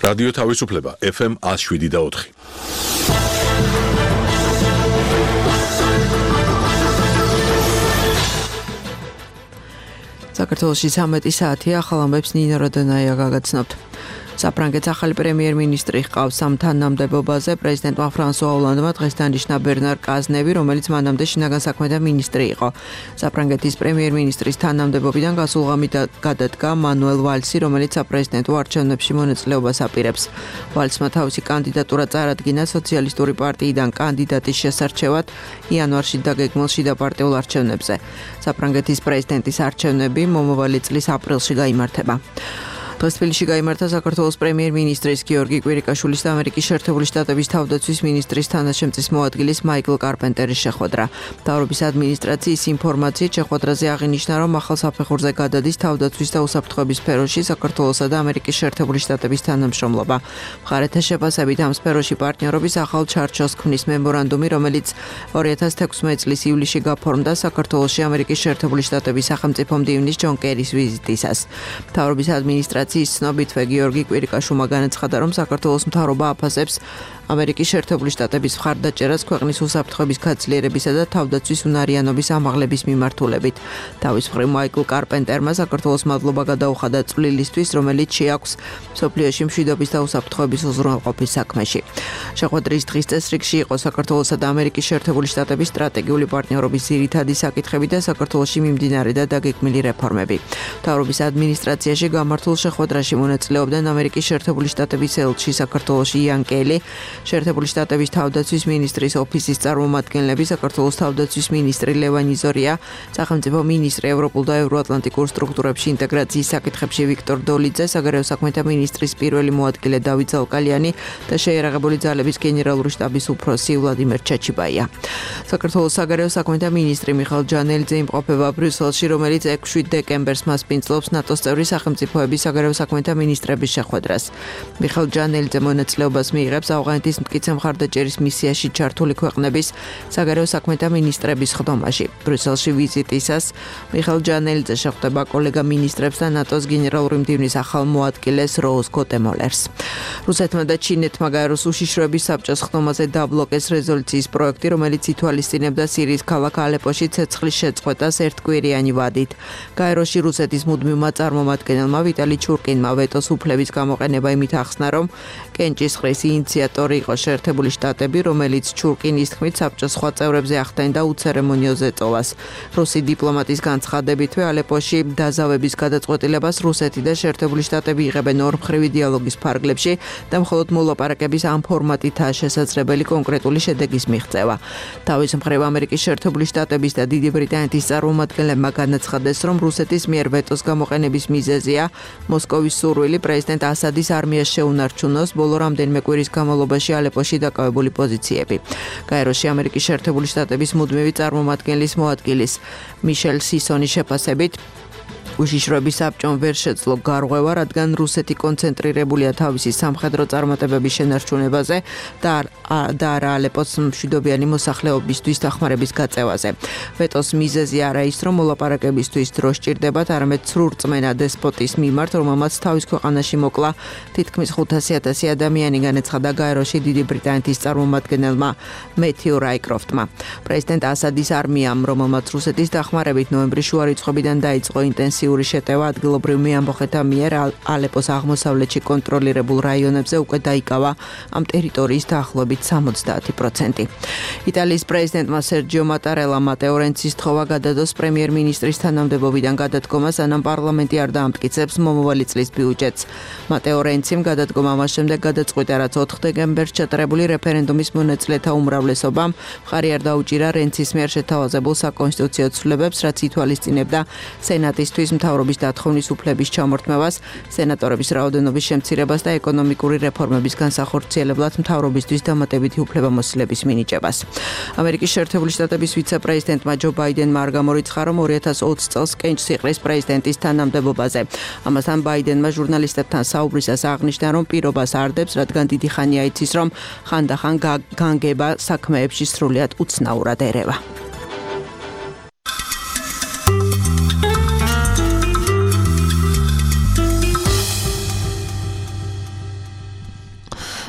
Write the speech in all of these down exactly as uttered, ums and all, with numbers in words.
რადიო თავისუფლება ეფ ემ one oh seven და four. საქართველოში ცამეტი საათია, ახალ ამბებს ნინო როდონაია გაგაცნობთ. საფრანგეთის ახალი პრემიერ-მინისტრი ჰყავს ამ თანამდებობაზე პრეზიდენტმა ფრანსუა ოლანდმა დღეს დანიშნა ბერნარ კაზნევი, რომელიც მანამდე შინაგან საქმეთა მინისტრი იყო. საფრანგეთის პრემიერ-მინისტრის თანამდებობიდან გასულ ღამით გადადგა მანუელ ვალსი, რომელიც საპრეზიდენტო არჩევნებში მონაწილეობას აპირებს. ვალსმა თავისი კანდიდატურა წარადგინა სოციალისტური პარტიიდან კანდიდატის შესარჩევად იანვარში დაგეგმილ შიდაპარტიულ არჩევნებზე. საფრანგეთის პრეზიდენტის არჩევნები მომავალი წლის აპრილში გაიმართება. დღეს თბილისში გაიმართა საქართველოს პრემიერ-მინისტრის გიორგი კვირიკაშვილის და ამერიკის შეერთებული შტატების თავდაცვის მინისტრის თანაშემწის მოადგილის მაიკლ კარპენტერის შეხვედრა. მთავრობის ადმინისტრაციის ინფორმაციით შეხვედრაზე აღინიშნა, რომ ახალ საფეხურზე გადადის თავდაცვის და უსაფრთხოების სფეროში საქართველოსა და ამერიკის შეერთებული შტატების თანამშრომლობა. მხარეთა შეფასებით ამ სფეროში პარტნიორობის ახალ ჩარჩოს ქმნის მემორანდუმი, რომელიც ორი ათას თექვსმეტი წლის ივლისში გაფორმდა საქართველოში ამერიკის შეერთებული შტატების სახელმწიფო მდივნის ჯონ კერის ვიზიტისას. მთავრობის ადმინისტრაციის ცნობითვე გიორგი კვირიკაშვილმა განაცხადა, რომ საქართველოს მთავრობა აფასებს ამერიკის შეერთებული შტატების მხარდაჭერას ქვეყნის უსაფრთხოების გაცილიერებისა და თავდაცვის უნარიანობის ამაღლების მიმართულებით. თავის მხრივ მაიკლ კარპენტერმა საქართველოს მადლობა გადაუხადა წვლილისთვის, რომელიც შეაქვს მსოფლიოში მშვიდობის და უსაფრთხოების უზრუნველყოფის საქმეში. შეხვედრის დღის წესრიგში იყო საქართველოსა და ამერიკის შეერთებული შტატების სტრატეგიული პარტნიორობის ძირითადი საკითხები და საქართველოში მიმდინარე და დაგეგმილი რეფორმები. მთავრობის ადმინისტრაციაში გამართულ შეხვედრაში მონაწილეობდნენ ამერიკის შეერთებული შტატების ელჩი საქართველოში იან კელი, შეერთებული შტატების თავდაცვის მინისტრის ოფისის წარმომადგენლები, საქართველოს თავდაცვის მინისტრი ლევან იზორია, სახელმწიფო მინისტრი ევროპულ და ევროატლანტიკურ სტრუქტურებში ინტეგრაციის საკითხებში ვიქტორ დოლიძე, საგარეო საქმეთა მინისტრის პირველი მოადგილე დავით ზალკალიანი და შეიარაღებული ძალების გენერალური შტაბის უფროსი ვლადიმერ ჩაჩიბაია. საქართველოს საგარეო საქმეთა მინისტრი მიხეილ ჯანელიძე იმყოფება ბრიუსელში, რომელიც ექვსი დეკემბერს მასპინძლობს ნატოს წევრი სახელმწიფოების საგარეო საქმეთა მინისტრების შეხვედრას. მიხეილ ჯანელიძე მონაწილეობას მიიღებს ავღანეთის მტკიცე მხარდაჭერის მისიაში ჩართული ქვეყნების საგარეო საქმეთა მინისტრების ხდომაში. ბრიუსელში ვიზიტისას მიხეილ ჯანელიძე შეხვდება კოლეგა მინისტრებს და ნატოს გენერალური მდივნის ახალ მოადგილეს როუზ გოტემოლერს. რუსეთმა და ჩინეთმა გაეროს უშიშროების საბჭოს ხდომაზე დაბლოკეს რეზოლუციის პროექტი, რომელიც ითვალისწინებდა სირიის ქალაქ ალეპოში ცეცხლის შეწყვეტას ერთკვირიანი ვადით. გაეროში რუსეთის მუდმივმა წარმომადგენელმა ვიტალი ჩურკინმა ვეტოს უფლების გამოყენება იმით ახსნა, რომ კენჭისყრის ინიციატორი იყო შეერთებული შტატები, რომელიც ჩურკინის თქმით საბჭოს სხვა წევრებზე ახდენდა უცერემონიო ზეწოლას. რუსი დიპლომატის განცხადებითვე ალეპოში დაზავების გადაწყვეტილებას რუსეთი და შეერთებული შტატები იღებენ ორმხრივი დიალოგის ფარგლებში და მხოლოდ მოლაპარაკების ამ ფორმატითაა შესაძლებელი კონკრეტული შედეგის მიღწევა. თავის მხრივ ამერიკის შეერთებული შტატების და დიდი ბრიტანეთის წარმომადგენლებმა განაცხადეს, რომ რუსეთის მიერ ვეტოს გამოყენების მიზეზია მოსკოვის სურვილი პრეზიდენტ ასადის არმიას შეუნარჩუნოს ბოლო რამდენიმე კვირის განმავლობაში ალეპოში დაკავებული პოზიციები. გაეროში ამერიკის შეერთებული შტატების მუდმივი წარმომადგენლის მოადგილის მიშელ სისონის შეფასებით უშიშროების საბჭომ ვერ შეძლო გარღვევა, რადგან რუსეთი კონცენტრირებულია თავისი სამხედრო წარმატებების შენარჩუნებაზე და არა ალეპოს მშვიდობიანი მოსახლეობისთვის დახმარების გაწევაზე. ვეტოს მიზეზი არა ის, რომ მოლაპარაკებისთვის დრო სჭირდებათ, არამედ ცრურწმენა დესპოტის მიმართ, რომელმაც თავის ქვეყანაში მოკლა თითქმის ხუთასი ათასი ადამიანი, განაცხადა გაეროში დიდი ბრიტანეთის წარმომადგენელმა მეთიუ რაიკროფტმა. პრეზიდენტ ასადის არმიამ, რომელმაც რუსეთის დახმარებით ნოემბრის შუა რიცხვებიდან დაიწყო ინტენსიური შეტევა ადგილობრივ მეამბოხეთა მიერ ალეპოს აღმოსავლეთში კონტროლირებულ რაიონებზე უკვე დაიკავა ამ ტერიტორიის დაახლოებით სამოცდაათი პროცენტი. იტალიის პრეზიდენტმა სერჯიო მატარელამ მატეო რენცის თხოვა გადადოს პრემიერ-მინისტრის თანამდებობიდან გადადგომას, სანამ პარლამენტი არ დაამტკიცებს მომავალი წლის ბიუჯეტს. მატეო რენციმ გადადგომა მას შემდეგ გადაწყვიტა, რაც ოთხ დეკემბერს ჩატარებული რეფერენდუმის მონაწილეთა უმრავლესობამ მხარი არ დაუჭირა რენცის მიერ შეთავაზებულ საკონსტიტუციო ცვლილებებს, რაც ითვალისწინებდა სენატისთვის მთავრობის დათხოვნის უფლების ჩამორთმევას, სენატორების რაოდენობის შემცირებას და ეკონომიკური რეფორმების განსახორციელებლად მთავრობისთვის დამატებითი უფლებამოსილების მინიჭებას. ამერიკის შეერთებული შტატების ვიცე-პრეზიდენტმა ჯო ბაიდენმა არ გამორიცხა, რომ ორი ათას ოცი წელს კენჭს იყრის პრეზიდენტის თანამდებობაზე. ამასთან ბაიდენმა ჟურნალისტებთან საუბრისას აღნიშნა, რომ პირობას არ დებს, რადგან დიდი ხანია იცის, რომ ხანდახან განგება საქმეებში სრულიად უცნაურად ერევა.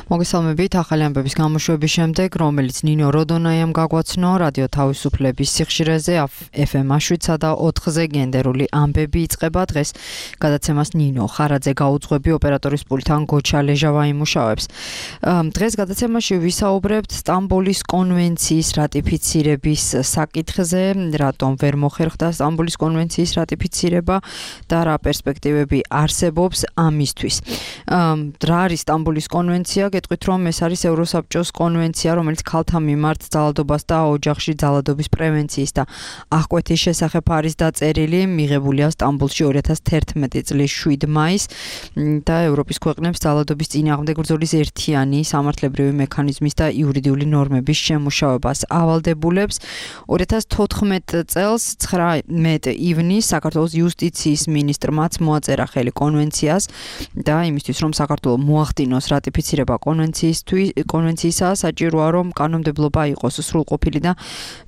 მოგესალმებით, ახალი ამბების გამოშვების შემდეგ, რომელიც ნინო როდონაიამ გაგვაცნო რადიო თავისუფლების სიხშირეზე ეფ ემ შვიდსა და ოთხზე გენდერული ამბები იწყება. დღეს გადაცემას ნინო ხარაძე გაუძღვები, ოპერატორის პულტთან გოჩა ლეჟავა იმუშავებს. დღეს გადაცემაში ვისაუბრებთ სტამბოლის კონვენციის რატიფიცირების საკითხზე, რატომ ვერ მოხერხდა სტამბოლის კონვენციის რატიფიცირება და რა პერსპექტივები არსებობს ამისთვის. რა არის სტამბოლის კონვენცია? გეტყვით, რომ ეს არის ევროსაბჭოს კონვენცია, რომელიც ქალთა მიმართ ძალადობას და ოჯახში ძალადობის პრევენციის და აღკვეთის შესახებ არის დაწერილი, მიღებულია სტამბოლში ორი ათას თერთმეტი წლის შვიდ მაისს და ევროპის ქვეყნებს ძალადობის წინააღმდეგ ბრძოლის ერთიანი სამართლებრივი მექანიზმის და იურიდიული ნორმების შემუშავებას ავალდებულებს. ორი ათას თოთხმეტ წელს ცხრამეტ ივნისს საქართველოს იუსტიციის მინისტრმაც მოაწერა ხელი კონვენციას და იმისთვის, რომ საქართველო მოახდინოს რატიფიცირება კონვენციისა, საჭიროა, რომ კანონმდებლობა იყოს სრულყოფილი და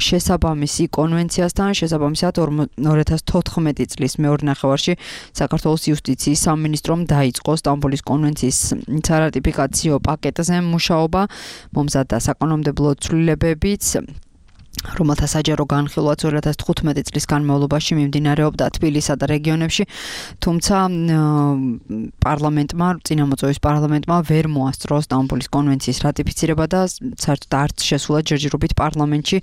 შესაბამისი კონვენციასთან. შესაბამისად, ორი ათას თოთხმეტი წლის მეორე ნახევარში საქართველოს იუსტიციის სამინისტრომ დაიწყო სტამბოლის კონვენციის სარატიფიკაციო პაკეტზე მუშაობა, მომზადდა საკანონმდებლო ცვლილებებიც, რომელთა საჯარო განხილვაც ორი ათას თხუთმეტი წლის განმავლობაში მიმდინარეობდა თბილისსა და რეგიონებში, თუმცა პარლამენტმა, წინამოწვევის პარლამენტმა ვერ მოასწრო სტამბოლის კონვენციის რატიფიცირება და საერთოდ არც შესულა ჯერჯერობით პარლამენტში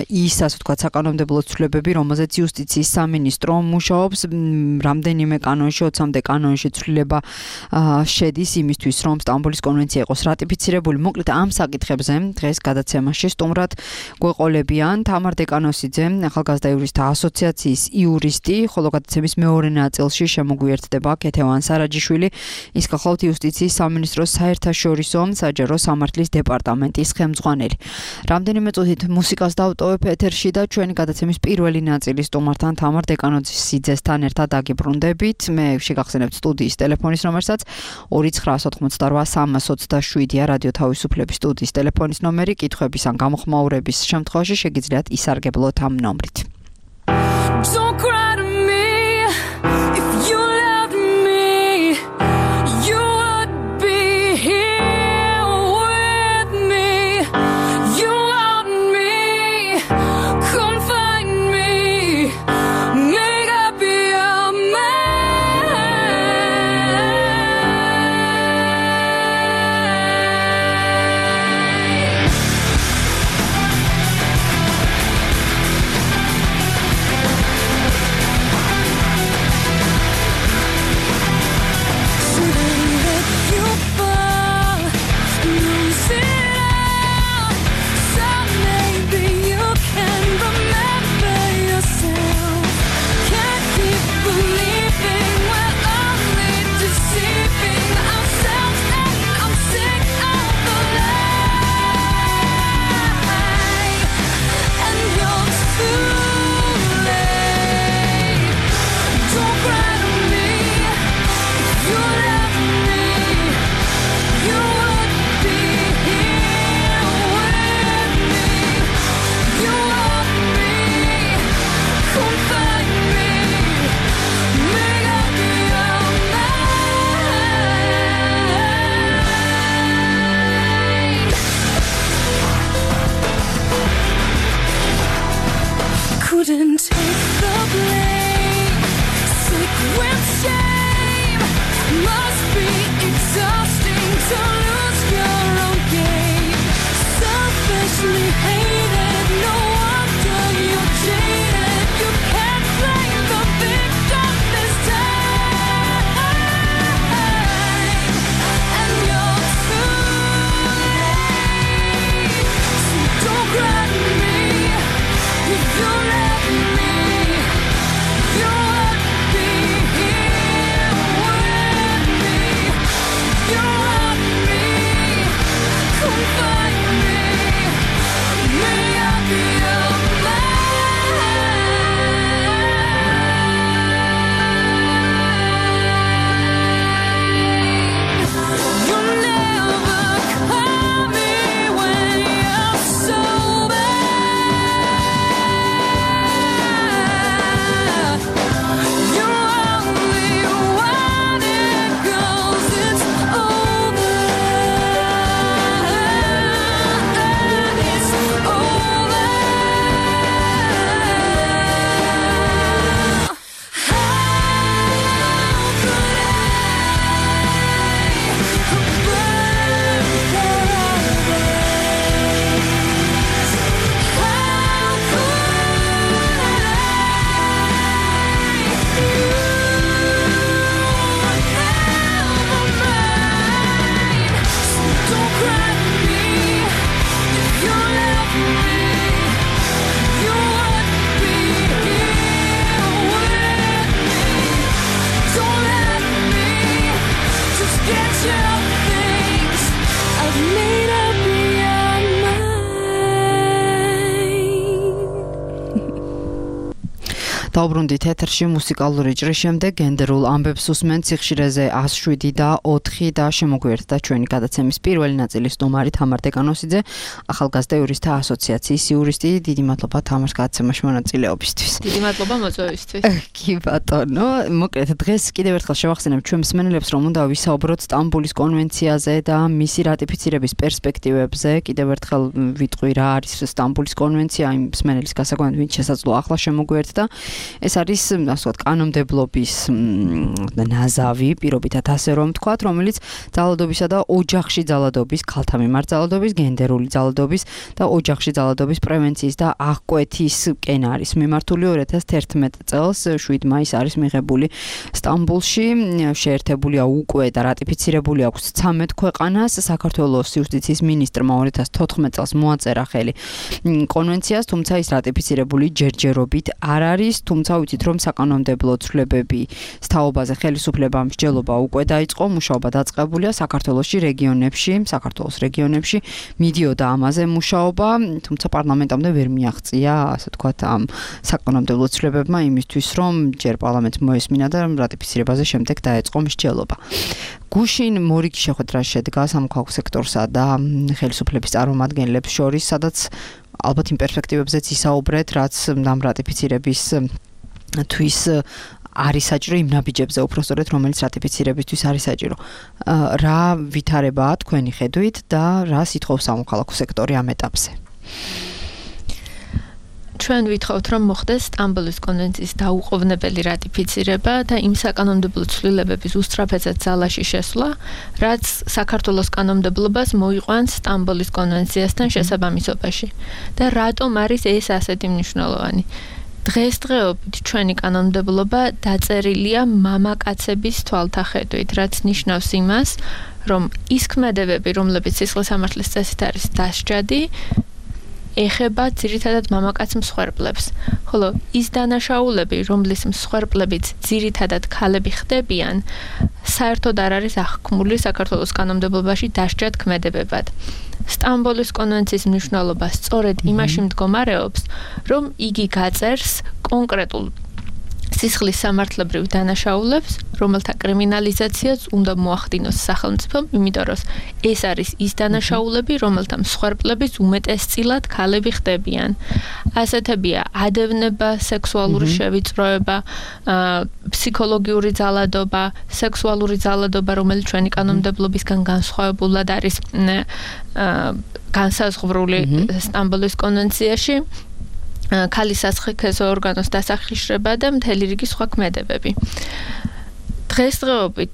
ის, ასე ვთქვათ, საკანონმდებლო ცვლილებები, რომელზეც იუსტიციის სამინისტრო მუშაობს, რამდენიმე კანონში, ოცამდე კანონში ცვლილება შედის იმისთვის, რომ სტამბოლის კონვენცია იყოს რატიფიცირებული. მოკლედ ამ საკითხებზე დღეს გადაცემაში სტუმრად გვეყოლებიან თამარ დეკანოსიძე, ახალგაზრდა იურისტთა ასოციაციის იურისტი, ხოლო გადაცემის მეორე ნაწილში შემოგვიერთდება ქეთევან სარაჯიშვილი, ის გახლავთ იუსტიციის სამინისტროს საერთაშორისო საჯარო სამართლის დეპარტამენტის ხელმძღვანელი. რამდენიმე წუთით მუსიკას დავტოვებ ეთერში და ჩვენი გადაცემის პირველი ნაწილი სტუმართან თამარ დეკანოსიძესთან ერთად დაგიბრუნდებით. მე შეგახსენებთ სტუდიის ტელეფონის ნომერსაც ორი ცხრა ოთხმოცდარვა სამას ოცდაშვიდია რადიო თავისუფლების სტუდიის ტელეფონის ნომერი, კითხვების ან გამოხმაურების შემთხვევაში შეგიძლიათ ისარგებლოთ ამ ნომრით. Don't cry to me if you loved me, you would be here with me. You want me, come find me, make I be your man. დაუბრუნდით ეთერში მუსიკალური ჭრის შემდეგ გენდერულ ამბებს უსმენთ სიხშირეზე one oh seven და four და შემოგვიერთდა ჩვენი გადაცემის პირველი ნაწილის სტუმარი თამარ დეკანოსიძე, ახალგაზრდა იურისტთა ასოციაციის იურისტი. დიდი მადლობა თამარს გადაცემაში მონაწილეობისთვის. დიდი მადლობა მოწვევისთვის. კი ბატონო, მოკლედ დღეს კიდევ ერთხელ შევახსენებ ჩვენ მსმენელებს, რომ უნდა ვისაუბროთ სტამბულის კონვენციაზე და მისი რატიფიცირების პერსპექტივებზე. კიდევ ერთხელ ვიტყვი რა არის სტამბულის კონვენცია, იმ მსმენელის გასაკვეთად, ვინც შესაძლოა ახლა შემოგვიერთდა. ეს არის, ასე ვთქვათ, კანონმდებლობის ნაზავი, პირობითად ასე რომ ვთქვათ, რომელიც ძალადობისა და ოჯახში ძალადობის, ქალთა მიმართ ძალადობის, გენდერული ძალადობის და ოჯახში ძალადობის პრევენციის და აღკვეთის კენ არის მიმართული. two thousand eleven წელს seven მაისს არის მიღებული სტამბულში, შეერთებულია უკვე და რატიფიცირებული აქვს thirteen ქვეყანას. საქართველოს იუსტიციის მინისტრმა two thousand fourteen წელს მოაწერა ხელი კონვენციას, თუმცა ის რატიფიცირებული ჯერჯერობით არ არის, თუმცა ვიცით რომ საკანონმდებლო ცვლილებები სთაობაზე ხელისუფლებამ მსჯელობა უკვე დაიწყო, მუშაობა დაწყებულია საქართველოში რეგიონებში, საქართველოს რეგიონებში მიდიოდა ამაზე მუშაობა, თუმცა პარლამენტამდე ვერ მიაღწია, ასე ვთქვათ, ამ საკანონმდებლო ცვლილებებმა იმისთვის, რომ ჯერ პარლამენტს მოესმინა და რატიფიცირებაზე შემდეგ დაეწყო მსჯელობა. გუშინ მორიგი შეხვედრა შედგა სამოქალაქო სექტორსა და ხელისუფლების წარმომადგენლებს შორის, სადაც ალბათ იმ პერსპექტივებზეც ისაუბრეთ, რაც ამ რატიფიცირების თვის არის საჭირო, იმ ნაბიჯებზე უпростоრეთ, რომელიც რატიფიცირებისთვის არის საჭირო. რა ვითარებაა თქვენი ხედვით და რა სიტყობს სამოქალაქო სექტორი ამ ეტაპზე? ჩვენ ვითხოვთ, რომ მოხდეს სტამბულის კონვენციის დაუყოვნებელი რატიფიცირება და იმ საკანონმდებლო ცვლილებების უსწრაფედად ძალაში შესვლა, რაც საქართველოს კანონმდებლობას მოიყვანს სტამბულის კონვენციასთან შესაბამისობაში. და რატომ არის ეს ასეთი მნიშვნელოვანი? დღესდღეობით ჩვენი კანონმდებლობა დაწერილია მამაკაცების თვალთახედვით, რაც ნიშნავს იმას, რომ ის ქმედებები, რომლებიც სისხლის სამართლის წესით არის დასჯადი, ეხება ძირითადად მამაკაც მსხვერპლებს, ხოლო ის დანაშაულები, რომლის მსხვერპლებიც ძირითადად ქალები ხდებიან, საერთოდ არ არის აღქმული საქართველოს კანონმდებლობაში დასჯად ქმედებებად. სტამბულის კონვენციის მნიშვნელობა სწორედ იმაში მდგომარეობს, რომ იგი გაწერს კონკრეტულ სისხლის სამართლებრივ დანაშაულებს, რომელთა კრიმინალიზაციაც უნდა მოახდინოს სახელმწიფომ, იმიტომ რომ ეს არის ის დანაშაულები, რომელთა მსხვერპლების უმეტესწილად ქალები ხდებიან. ასეთებია ადევნება, სექსუალური შევიწროება, ფსიქოლოგიური ძალადობა, სექსუალური ძალადობა, რომელიც ჩვენი კანონმდებლობისგან განსხვავებულად არის განსაზღვრული სტამბულის კონვენციაში. ქალის სასხექეზო ორგანოს დასახიშრება და მთელი რიგი სხვა ქმედებები. დღესდღეობით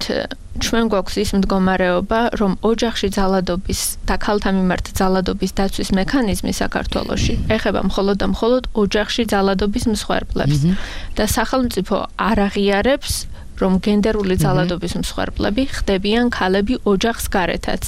ჩვენ გვაქვს ის მდგომარეობა, რომ ოჯახში ძალადობის და ქალთა მიმართ ძალადობის დაცვის მექანიზმი საქართველოში ეხება მხოლოდ და მხოლოდ ოჯახში ძალადობის მსხვერპლებს და სახელმწიფო არ აღიარებს, რომ გენდერული ძალადობის მსხვერპლები ხდებიან ქალები ოჯახს გარეთაც.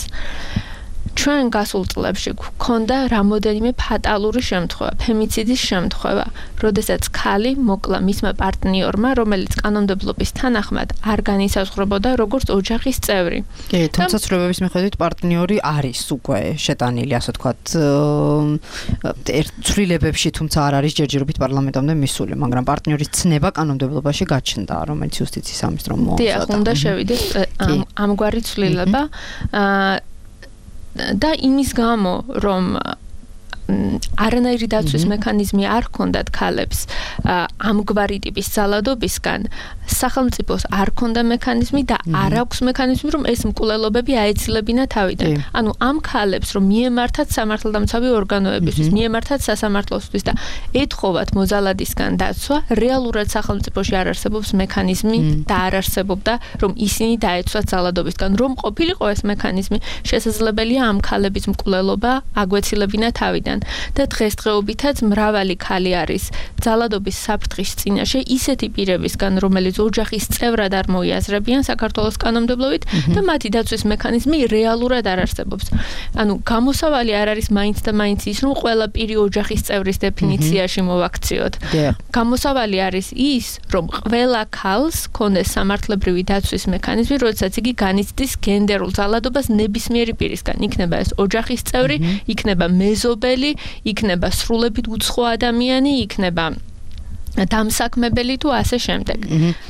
ჩვენ გასულ წლებში გვქონდა რამოდენიმე ფატალური შემთხვევა, ფემიციდის შემთხვევა, როდესაც ქალი მოკლა მისმა პარტნიორმა, რომელიც კანონმდებლობის თანახმად არ განისაზღვრებოდა როგორც ოჯახის წევრი. კი, თუმცა ცვლილებების მიხედვით პარტნიორი არის უკვე შეტანილი, ასე ვთქვათ, ერთ ცვლილებებში, თუმცა არ არის ჯერჯერობით პარლამენტამდე მისული, მაგრამ პარტნიორის ცნება კანონმდებლობაში გაჩნდა, რომელიც იუსტიციის სამინისტრომ მოამზადა. დიახ, უნდა შევიდეს ამგვარი ცვლილება. და იმის გამო, რომ არანაირი დაცვის მექანიზმი არ ჰქონდათ ქალებს ამგვარი ტიპის ძალადობისგან, სახელმწიფოს არ ჰქონდა მექანიზმი და არ აქვს მექანიზმი, რომ ეს მკვლელობები აეცილებინა თავიდან. ანუ ამ ქალებს, რომ მიემართათ სამართალდამცავი ორგანოებისთვის, მიემართათ სასამართლოსთვის და ეთხოვათ მოძალადისგან დაცვა, რეალურად სახელმწიფოში არ არსებობს მექანიზმი და არ არსებობდა, რომ ისინი დაეცვათ ძალადობისგან. რომ ყოფილიყო ეს მექანიზმი, შესაძლებელია ამ ქალების მკვლელობა აგვეცილებინა თავიდან. და დღესდღეობითაც მრავალი ქალი არის ძალადობის საფრთხის წინაშე ისეთი პირებისგან, რომელიც ოჯახის წევრად არ მოიაზრებიან საქართველოს კანონმდებლობით და მათი დაცვის მექანიზმი რეალურად არ არსებობს. ანუ გამოსავალი არ არის მაინც და მაინც ის, რომ ყველა პირი ოჯახის წევრის დეფინიციაში მოვაქციოთ. გამოსავალი არის ის, რომ ყველა ქალს ქონდეს სამართლებრივი დაცვის მექანიზმი, როდესაც იგი განიცდის გენდერულ ძალადობას ნებისმიერი პირისგან. იქნება ეს ოჯახის წევრი, იქნება მეზობელი, იქნება სრულებით უცხო ადამიანი, იქნება დამსაქმებელი თუ ასე შემდეგ.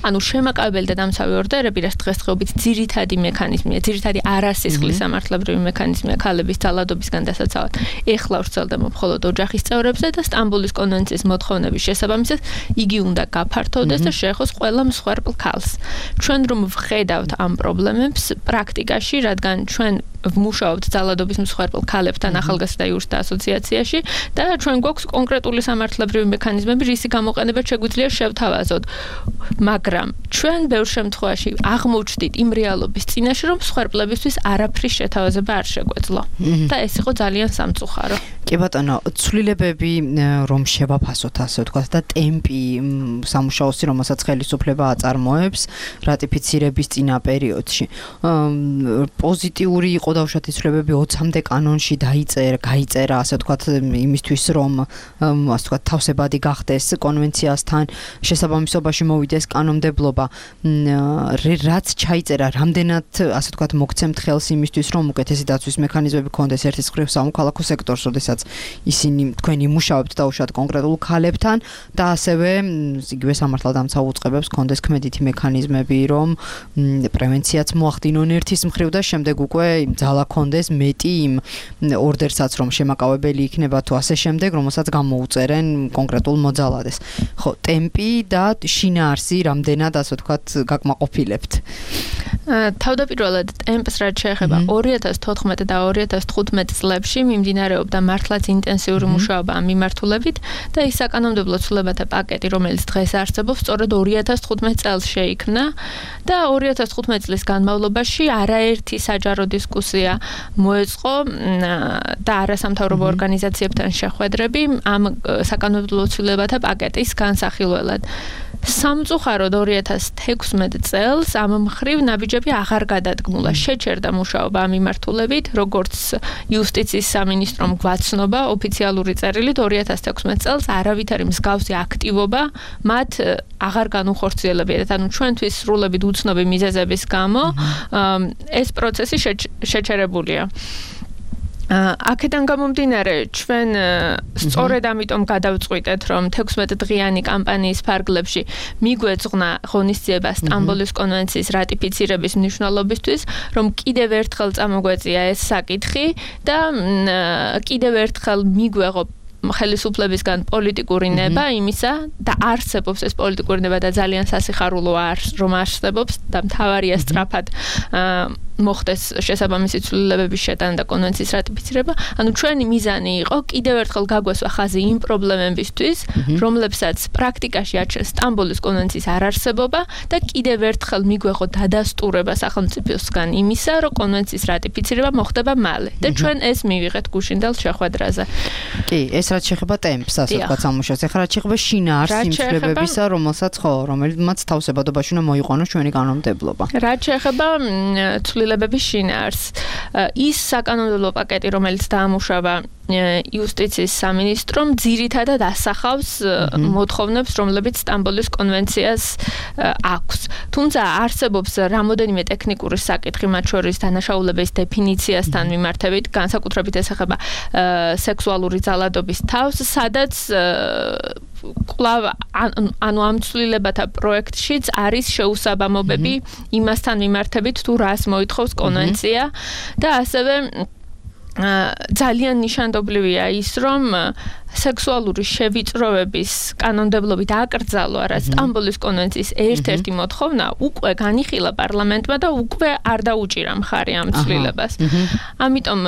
ანუ შემაკავებელი და დამცავი ორდერები, რაც დღესდღეობით ძირითადი მექანიზმია, ძირითადი არასისხლის სამართლებრივი მექანიზმია ქალების ძალადობისგან დასაცავად. ეხლა ვრცელდება მხოლოდ ოჯახის წევრებზე და სტამბოლის კონვენციის მოთხოვნების შესაბამისად იგი უნდა გაფართოვდეს და შეეხოს ყველა მსხვერპლ ქალს. ჩვენ რომ ვხედავთ ამ პრობლემებს პრაქტიკაში, რადგან ჩვენ ვმუშაობთ ძალადობის მსხვერპლ ქალებთან ახალგაზრდა იურისტთა ასოციაციაში და ჩვენ გვაქვს კონკრეტული სამართლებრივი მექანიზმები, რისი გამოყენება შეგვიძლია შევთავაზოთ. მაგრამ ჩვენ ბევრ შემთხვევაში აღმოჩნდით იმ რეალობის წინაშე, რომ მსხვერპლებისთვის არაფრის შეთავაზება არ შეგვეძლო. და ეს იყო ძალიან სამწუხარო. კი ბატონო, ცვლილებები რომ შევაფასოთ, ასე ვთქვათ, და ტემპი სამუშაოსი, რომელსაც ხელისუფლება აწარმოებს რატიფიცირების წინა პერიოდში. პოზიტიური იყო დავუშვათ ცვლილებები ოცამდე კანონში დაიწერა, გაიწერა, ასე ვთქვათ, იმისთვის, რომ ასე ვთქვათ, თავსებადი გახდეს კონვენციასთან შესაბამისობაში მოვიდეს კანონმდებლობა. რაც ჩაიწერა, რამდენად, ასე ვთქვათ, მოგცემთ ხელს იმისთვის, რომ უკეთესი დაცვის მექანიზმები ქონდეს ერთის მხრივ სამოქალაქო სექტორს, როდესაც ისინი თქვენი მუშაობთ დაუშვათ კონკრეტულ ქალებთან და ასევე იგივე სამართალდამცავ უწყებებს ქონდეს ქმედითი მექანიზმები, რომ პრევენციაც მოახდინონ ერთის მხრივ და შემდეგ უკვე ძალა ქონდეს მეტი იმ ორდერსაც, რომ შემაკავებელი იქნება თუ ასე შემდეგ, რომელსაც გამოუწერენ კონკრეტულ მოძალადეს. ხო, ტემპი და შინაარსი რამდენად, ასე ვთქვათ, გაკმაყოფილებთ? თავდაპირველად ტემპს რაც შეეხება ორი ათას თოთხმეტი და ორი ათას თხუთმეტი წლებში მიმდინარეობდა მართლაც ინტენსიური მუშაობა ამ მიმართულებით და ის საკანონმდებლო ცვლილებათა პაკეტი, რომელიც დღეს არსებობს, სწორედ ორი ათას თხუთმეტ წელს შეიქმნა და ორი ათას თხუთმეტ წლის განმავლობაში არაერთი საჯარო დისკუსია მოეწყო და არასამთავრობო ორგანიზაციებთან შეხვედრები ამ საკანონმდებლო ცვლილებათა პაკეტის განსახილველად. სამწუხაროდ ორი ათას თექვსმეტ წელს ამ მხრივ ნაბიჯები აღარ გადადგმულა. შეჩერდა მუშაობა ამ მიმართულებით, როგორც იუსტიციის სამინისტრომ გვაცნობა ოფიციალური წერილით ორი ათას თექვსმეტ წელს არავითარი მსგავსი აქტივობა მათ აღარ განუხორციელებიათ. ანუ ჩვენთვის სრულებით უცნობი მიზეზების გამო ეს პროცესი შეჩერებულია. აქედან გამომდინარე, ჩვენ სწორედ ამიტომ გადავწყვიტეთ, რომ თექვსმეტ დღიანი კამპანიის ფარგლებში მიგვეძღვნა ღონისძიება სტამბოლის კონვენციის რატიფიცირების მნიშვნელობისთვის, რომ კიდევ ერთხელ წამოგვეწია ეს საკითხი და კიდევ ერთხელ მიგვეღო ხელისუფლებისგან პოლიტიკური ნება იმისა და არსებობს ეს პოლიტიკური ნება და ძალიან სასიხარულოა რომ არსებობს და მთავარია სწრაფად მოხდეს შესაბამისი ცვლილებების შეტანა და კონვენციის რატიფიცირება. ანუ ჩვენი მიზანი იყო კიდევ ერთხელ გაგვესვა ხაზი იმ პრობლემებისთვის, რომლებსაც პრაქტიკაში აჩენს სტამბოლის კონვენციის არარსებობა და კიდევ ერთხელ მიგვეღო დადასტურება სახელმწიფოსგან იმისა, რომ კონვენციის რატიფიცირება მოხდება მალე. და ჩვენ ეს მივიღეთ გუშინდელ შეხვედრაზე. კი, ეს რაც შეეხება ტემპს, ასე ვთქვათ, სამუშაოს. ეხლა რაც შეეხება შინაარსს იმ ცვლილებებისა, რომელსაც ხო, რომელმაც თავსებადობაში უნდა მოიყვანოს ჩვენი კანონმდებლობა. რაც შეეხება ცვლილებების შინაარსს, ის საკანონმდებლო პაკეტი, რომელიც დაამუშავა იუსტიციის სამინისტრომ, ძირითადად ასახავს მოთხოვნებს, რომლებიც სტამბოლის კონვენციას აქვს. თუმცა არსებობს რამოდენიმე ტექნიკური საკითხი, მათ შორის დანაშაულების დეფინიციასთან მიმართებით, განსაკუთრებით ეს ეხება სექსუალური ძალადობის თავს, სადაც კვლავ ანუ ამ ცვლილებათა პროექტშიც არის შეუსაბამობები იმასთან მიმართებით, თუ რას მოითხოვს კონვენცია და ასევე ძალიან ნიშანდობლივია ის, რომ სექსუალური შევიწროების კანონმდებლობით აკრძალვა, რაც სტამბოლის კონვენციის ერთ-ერთი მოთხოვნა, უკვე განიხილა პარლამენტმა და უკვე არ დაუჭირა მხარი ამ ცვლილებას. ამიტომ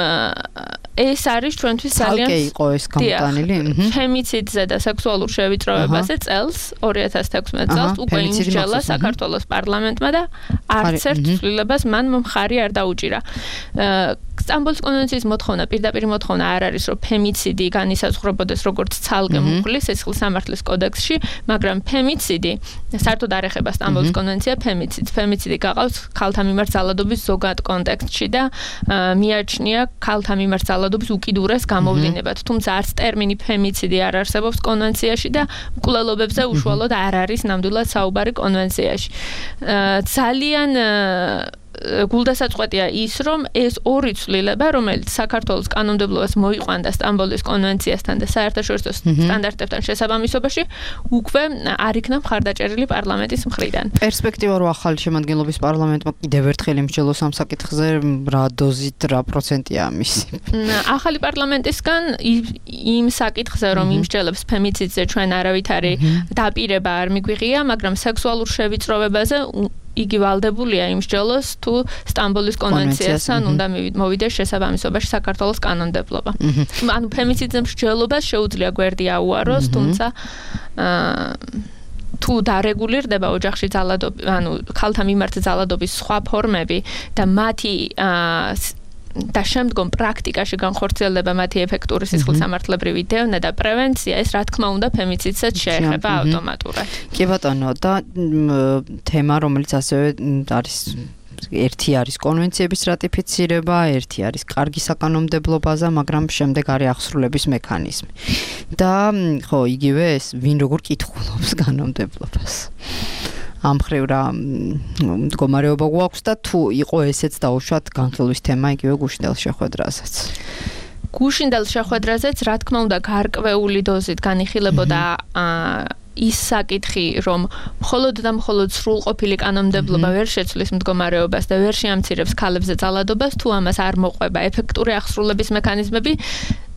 ეს არის ჩვენთვის ძალიან ცალკე იყო ეს გამოტანილი. ფემიციდზე და სექსუალურ შევიწროებაზე წელს ორი ათას თექვსმეტ წელს უკვე იმსჯელა საქართველოს პარლამენტმა და არც ერთ ცვლილებას მან მხარი არ დაუჭირა. სტამბოლის კონვენციის მოთხოვნა, პირდაპირ მოთხოვნა არ არის, რომ ფემიციდი განისაზღვრებოდეს როგორც ცალკე მუხლის სისხლის სამართლის კოდექსში, მაგრამ ფემიციდი საერთოდ არ ეხება სტამბოლის კონვენცია ფემიციდს. ფემიციდი გაყავს ქალთა მიმართ ძალადობის ზოგად კონტექსტში და მიაჩნია ქალთა მიმართ ძალადობის უკიდურეს გამოვლინებად. თუმცა არც ტერმინი ფემიციდი არ არსებობს კონვენციაში და მკვლელობებზე უშუალოდ არ არის ნამდვილად საუბარი კონვენციაში. ძალიან გულდასაწყვეტია ის, რომ ეს ორი ცვლილება, რომელიც საქართველოს კანონმდებლობას მოიყვანდა სტამბოლის კონვენციასთან და საერთაშორისო სტანდარტებთან შესაბამისობაში, უკვე არ იქნა მხარდაჭერილი პარლამენტის მხრიდან. პერსპექტივა რო ახალი შემადგენლობის პარლამენტმა კიდევ ერთხელ იმსჯელოს ამ საკითხზე, რა დოზით, რა პროცენტია ამისი? ახალი პარლამენტისგან იმ საკითხზე, რომ იმსჯელებს ფემიციდზე ჩვენ არავითარი დაპირება არ მიგვიღია, მაგრამ სექსუალურ შევიწროვებაზე იგი ვალდებულია იმსჯელოს თუ სტამბოლის კონვენციასთან უნდა მოვიდეს შესაბამისობაში საქართველოს კანონმდებლობა. ანუ ფემიციდზე მსჯელობას შეუძლია გვერდი აუაროს, თუმცა თუ დარეგულირდება ოჯახში ძალადობა, ანუ ქალთა მიმართ ძალადობის სხვა ფორმები და მათი და შემდგომ პრაქტიკაში განხორციელდება მათი ეფექტური სისხლისამართლებრივი დევნა და პრევენცია, ეს რა თქმა უნდა ფემიციდსაც შეეხება ავტომატურად. კი ბატონო, და თემა, რომელიც ასევე არის ერთი არის კონვენციების რატიფიცირება, ერთი არის კარგი საკანონმდებლობაზე, მაგრამ შემდეგ არის აღსრულების მექანიზმი. და ხო, იგივე ეს ვინ როგორ კითხულობს კანონმდებლობას. ამ მხრივ რა მდგომარეობა გვაქვს და თუ იყო ესეც დაუშვათ განხილვის თემა იგივე გუშინდელ შეხვედრაზეც. გუშინდელ შეხვედრაზეც რა თქმა უნდა გარკვეული დოზით განიხილებოდა ის საკითხი, რომ მხოლოდ და მხოლოდ სრულყოფილი კანონმდებლობა ვერ შეცვლის მდგომარეობას და ვერ შეამცირებს ქალებზე ძალადობას, თუ ამას არ მოყვება ეფექტური აღსრულების მექანიზმები,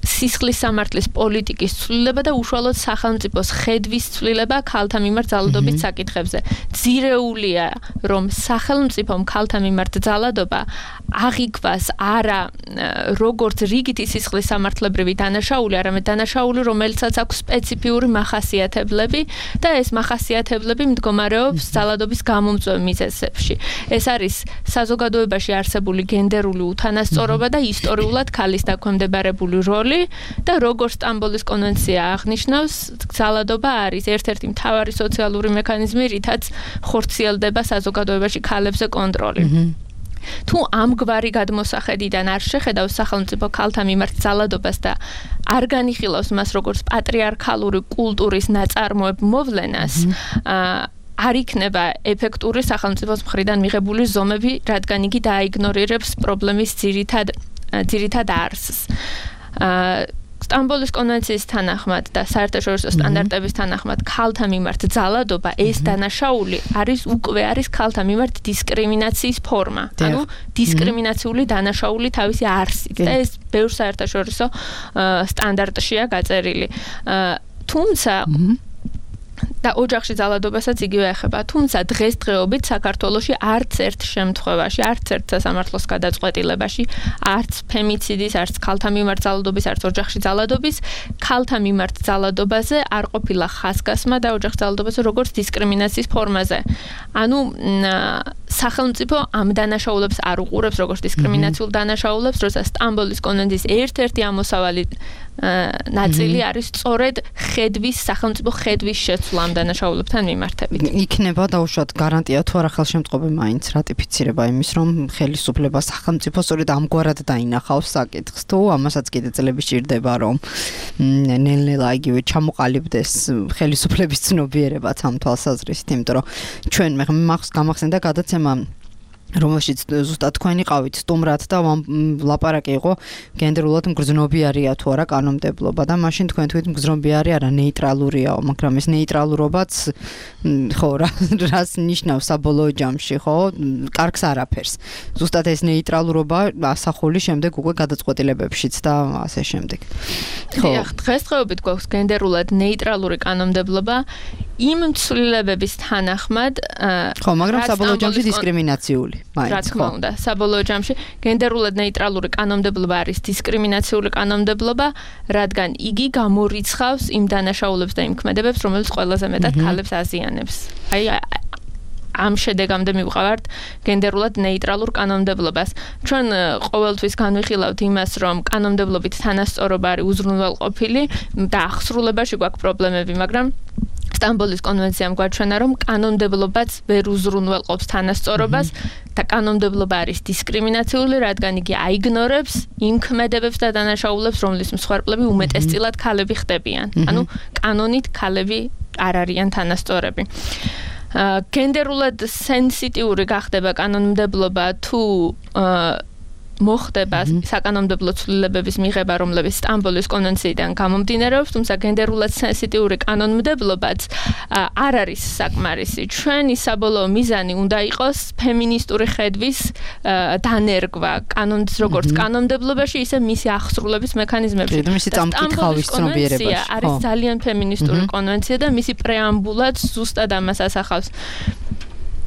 სისხლის სამართლის პოლიტიკის ცვლილება და უშუალოდ სახელმწიფოს ხედვის ცვლილება ქალთა მიმართ ძალადობის საკითხებზე. ძირეულია, რომ სახელმწიფომ ქალთა მიმართ ძალადობა აღიქვას არა როგორც რიგითი სისხლის სამართლებრივი დანაშაული, არამედ დანაშაული, რომელსაც აქვს სპეციფიური მახასიათებლები და ეს მახასიათებლები მდგომარეობს ძალადობის გამომწვევ მიზეზებში. ეს არის საზოგადოებაში არსებული გენდერული უთანასწორობა და ისტორიულად ქალის დაქვემდებარებული როლი და როგორც სტამბოლის კონვენცია აღნიშნავს, ძალადობა არის ერთ-ერთი მთავარი სოციალური მექანიზმი, რითაც ხორციელდება საზოგადოებაში ქალებზე კონტროლი. თუ ამგვარი გადმოსახედიდან არ შეხედავს სახელმწიფო ქალთა მიმართ ძალადობას და არ განიხილავს მას როგორც პატრიარქალური კულტურის ნაწარმოებ მოვლენას, არ იქნება ეფექტური სახელმწიფოს მხრიდან მიღებული ზომები, რადგან იგი დაიგნორირებს პრობლემის ძირითად ძირითად არსს. სტამბოლის კონვენციის თანახმად და საერთაშორისო სტანდარტების თანახმად ქალთა მიმართ ძალადობა ეს დანაშაული არის უკვე არის ქალთა მიმართ დისკრიმინაციის ფორმა. ანუ დისკრიმინაციული დანაშაული თავისი არსით და ეს ბევრ საერთაშორისო სტანდარტშია გაწერილი. თუმცა და ოჯახში ძალადობასაც იგივე ეხება. თუმცა დღესდღეობით საქართველოში არც ერთ შემთხვევაში, არც ერთ სასამართლოს გადაწყვეტილებაში, არც ფემიციდის, არც ქალთა მიმართ ძალადობის, არც ოჯახში ძალადობის, ქალთა მიმართ ძალადობაზე არ ყოფილა ხაზგასმა და ოჯახში ძალადობაზე როგორც დისკრიმინაციის ფორმაზე. ანუ სახელმწიფო ამ დანაშაულებს არ უყურებს როგორც დისკრიმინაციულ დანაშაულებს, როცა სტამბოლის კონვენციის ერთ-ერთი ამოსავალი ნაწილი არის სწორედ ხედვის სახელმწიფო ხედვის შეცვლა ამ დანაშაულებთან მიმართებით. იქნება დაუშვათ გარანტია თუ არა ხელშემწყობი მაინც რატიფიცირება იმის, რომ ხელისუფლება სახელმწიფო სწორედ ამგვარად დაინახავს საკითხს, თუ ამასაც კიდე წლები სჭირდება, რომ ნელ-ნელა იგივე ჩამოყალიბდეს ხელისუფლების ცნობიერებაც ამ თვალსაზრისით, იმიტომ რომ ჩვენ მე მახს გამახსენდა გადაცემა რომელშიც ზუსტად თქვენი ყავით სტუმრად და ლაპარაკი იყო გენდერულად მგრძნობიარია თუ არა კანონმდებლობა და მაშინ თქვენ თქვით მგრძნობიარი არა ნეიტრალურიაო, მაგრამ ეს ნეიტრალურობაც ხო რას ნიშნავს საბოლოო ჯამში, ხო? კარგს არაფერს. ზუსტად ეს ნეიტრალურობა ასახული შემდეგ უკვე გადაწყვეტილებებშიც და ასე შემდეგ. ხო, დღესდღეობით გვაქვს გენდერულად ნეიტრალური კანონმდებლობა იმ ცვლილებების თანახმად, ხო, მაგრამ საბოლოო ჯამში დისკრიმინაციული. რა თქმა უნდა, საბოლოო ჯამში გენდერულად ნეიტრალური კანონმდებლობა არის დისკრიმინაციული კანონმდებლობა, რადგან იგი გამორიცხავს იმ დანაშაულებს და იმ ქმედებებს, რომელიც ყველაზე მეტად ქალებს აზიანებს. აი ამ შედეგამდე მივყავართ გენდერულად ნეიტრალურ კანონმდებლობას. ჩვენ ყოველთვის განვიხილავთ იმას, რომ კანონმდებლობით თანასწორობა არის უზრუნველყოფილი და აღსრულებაში გვაქვს პრობლემები, მაგრამ სტამბოლის კონვენციამ გვაჩვენა, რომ კანონმდებლობაც ვერ უზრუნველყოფს თანასწორობას და კანონმდებლობა არის დისკრიმინაციული, რადგან იგი აიგნორებს იმ ქმედებებს და დანაშაულებს, რომლის მსხვერპლები უმეტესწილად ქალები ხდებიან. ანუ კანონით ქალები არ არიან თანასწორები. გენდერულად სენსიტიური გახდება კანონმდებლობა თუ მოხდება საკანონმდებლო ცვლილებების მიღება, რომლებიც სტამბოლის კონვენციიდან გამომდინარეობს, თუმცა გენდერულად სენსიტიური კანონმდებლობაც არ არის საკმარისი. ჩვენი საბოლოო მიზანი უნდა იყოს ფემინისტური ხედვის დანერგვა კანონს, როგორც კანონმდებლობაში, ისე მისი ახსრულების მექანიზმებში. სტამბოლის კონვენცია არის ძალიან ფემინისტური კონვენცია და მისი პრეამბულაც ზუსტად ამას ასახავს.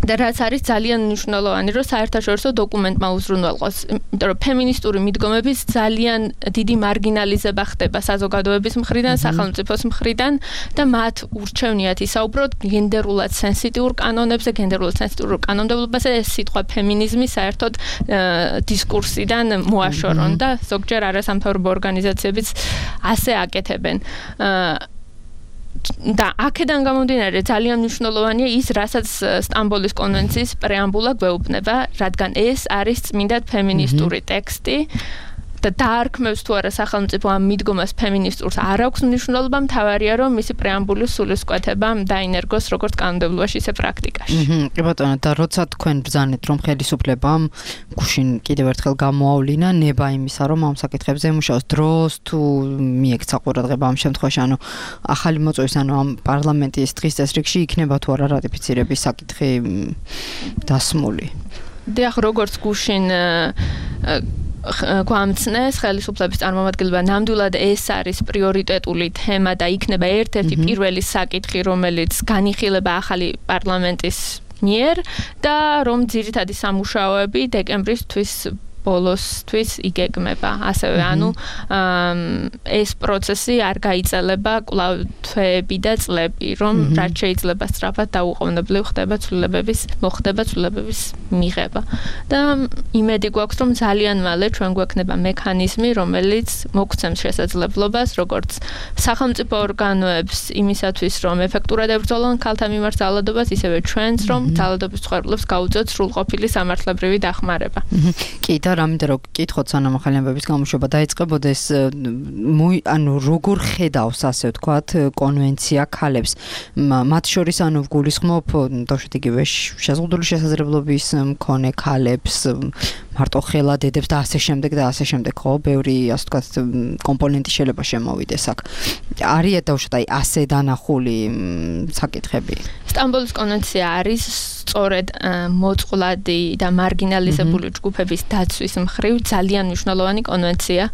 და რაც არის ძალიან მნიშვნელოვანი, რომ საერთაშორისო დოკუმენტმა უზრუნველყოს, იმიტომ რომ ფემინისტური მიდგომების ძალიან დიდი მარგინალიზება ხდება საზოგადოების მხრიდან, სახელმწიფოს მხრიდან და მათ ურჩევნიათ ისაუბროთ გენდერულად სენსიტიურ კანონებზე, გენდერულად სენსიტიურ კანონმდებლობაზე, ეს სიტყვა ფემინიზმი საერთოდ დისკურსიდან მოაშორონ და ზოგჯერ არასამთავრობო ორგანიზაციებიც ასე აკეთებენ. და აქედან გამომდინარე ძალიან მნიშვნელოვანია ის, რასაც სტამბოლის კონვენციის პრეამბულა გვეუბნება, რადგან ეს არის წმინდად ფემინისტური ტექსტი და დაარქმევს თუ არა სახელმწიფო ამ მიდგომას ფემინისტურს არ აქვს მნიშვნელობა, მთავარია რომ მისი პრეამბულის სულისკვეთება დაინერგოს როგორც კანონმდებლობაში, ისე პრაქტიკაში. კი ბატონო, და როცა თქვენ ბრძანეთ რომ ხელისუფლებამ გუშინ კიდევ ერთხელ გამოავლინა ნება იმისა, რომ ამ საკითხებზე მუშაოს დროს თუ მიექცა ყურადღება ამ შემთხვევაში, ანუ ახალი მოწვევის, ანუ ამ პარლამენტის დღის წესრიგში იქნება თუ არა რატიფიცირების საკითხი დასმული. დიახ, როგორც გუშინ გვამცნეს ხელისუფლების წარმომადგენლობა, ნამდვილად ეს არის პრიორიტეტული თემა და იქნება ერთ-ერთი პირველი საკითხი, რომელიც განიხილება ახალი პარლამენტის მიერ და რომ ძირითადი სამუშაოები დეკემბრის ბოლოსთვის იგეგმება. ასევე ანუ ეს პროცესი არ გაიწელება კვლავ თვეები და წლები, რომ რაც შეიძლება სწრაფად დაუყოვნებლივ ხდება ცვლილებების მოხდება ცვლილებების მიღება. და იმედი გვაქვს, რომ ძალიან მალე ჩვენ გვექნება მექანიზმი, რომელიც მოგცემს შესაძლებლობას, როგორც სახელმწიფო ორგანოებს იმისათვის, რომ ეფექტურად ებრძოლონ ქალთა მიმართ ძალადობას, ისევე ჩვენს, რომ ძალადობის მსხვერპლებს გაუწიოთ სრულყოფილი სამართლებრივი დახმარება. კი და რამე რომ კითხოთ სანამ ახალი ამბების გამოშვება დაიწყებოდეს, ანუ როგორ ხედავს ასე ვთქვათ კონვენცია ქალებს, მათ შორის ანუ ვგულისხმობ თორშეთ იგივე შეზღუდული შესაძლებლობის მქონე ქალებს, მარტო ხელა დედებს და ასე შემდეგ და ასე შემდეგ, ხო, ბევრი ასე ვთქვათ კომპონენტი შეიძლება შემოვიდეს აქ. არის თორშეთ აი ასე დანახული საკითხები. სტამბოლის კონვენცია არის სწორედ მოწყვლადი და მარგინალიზებული ჯგუფების დაცვის მხრივ ძალიან მნიშვნელოვანი კონვენცია.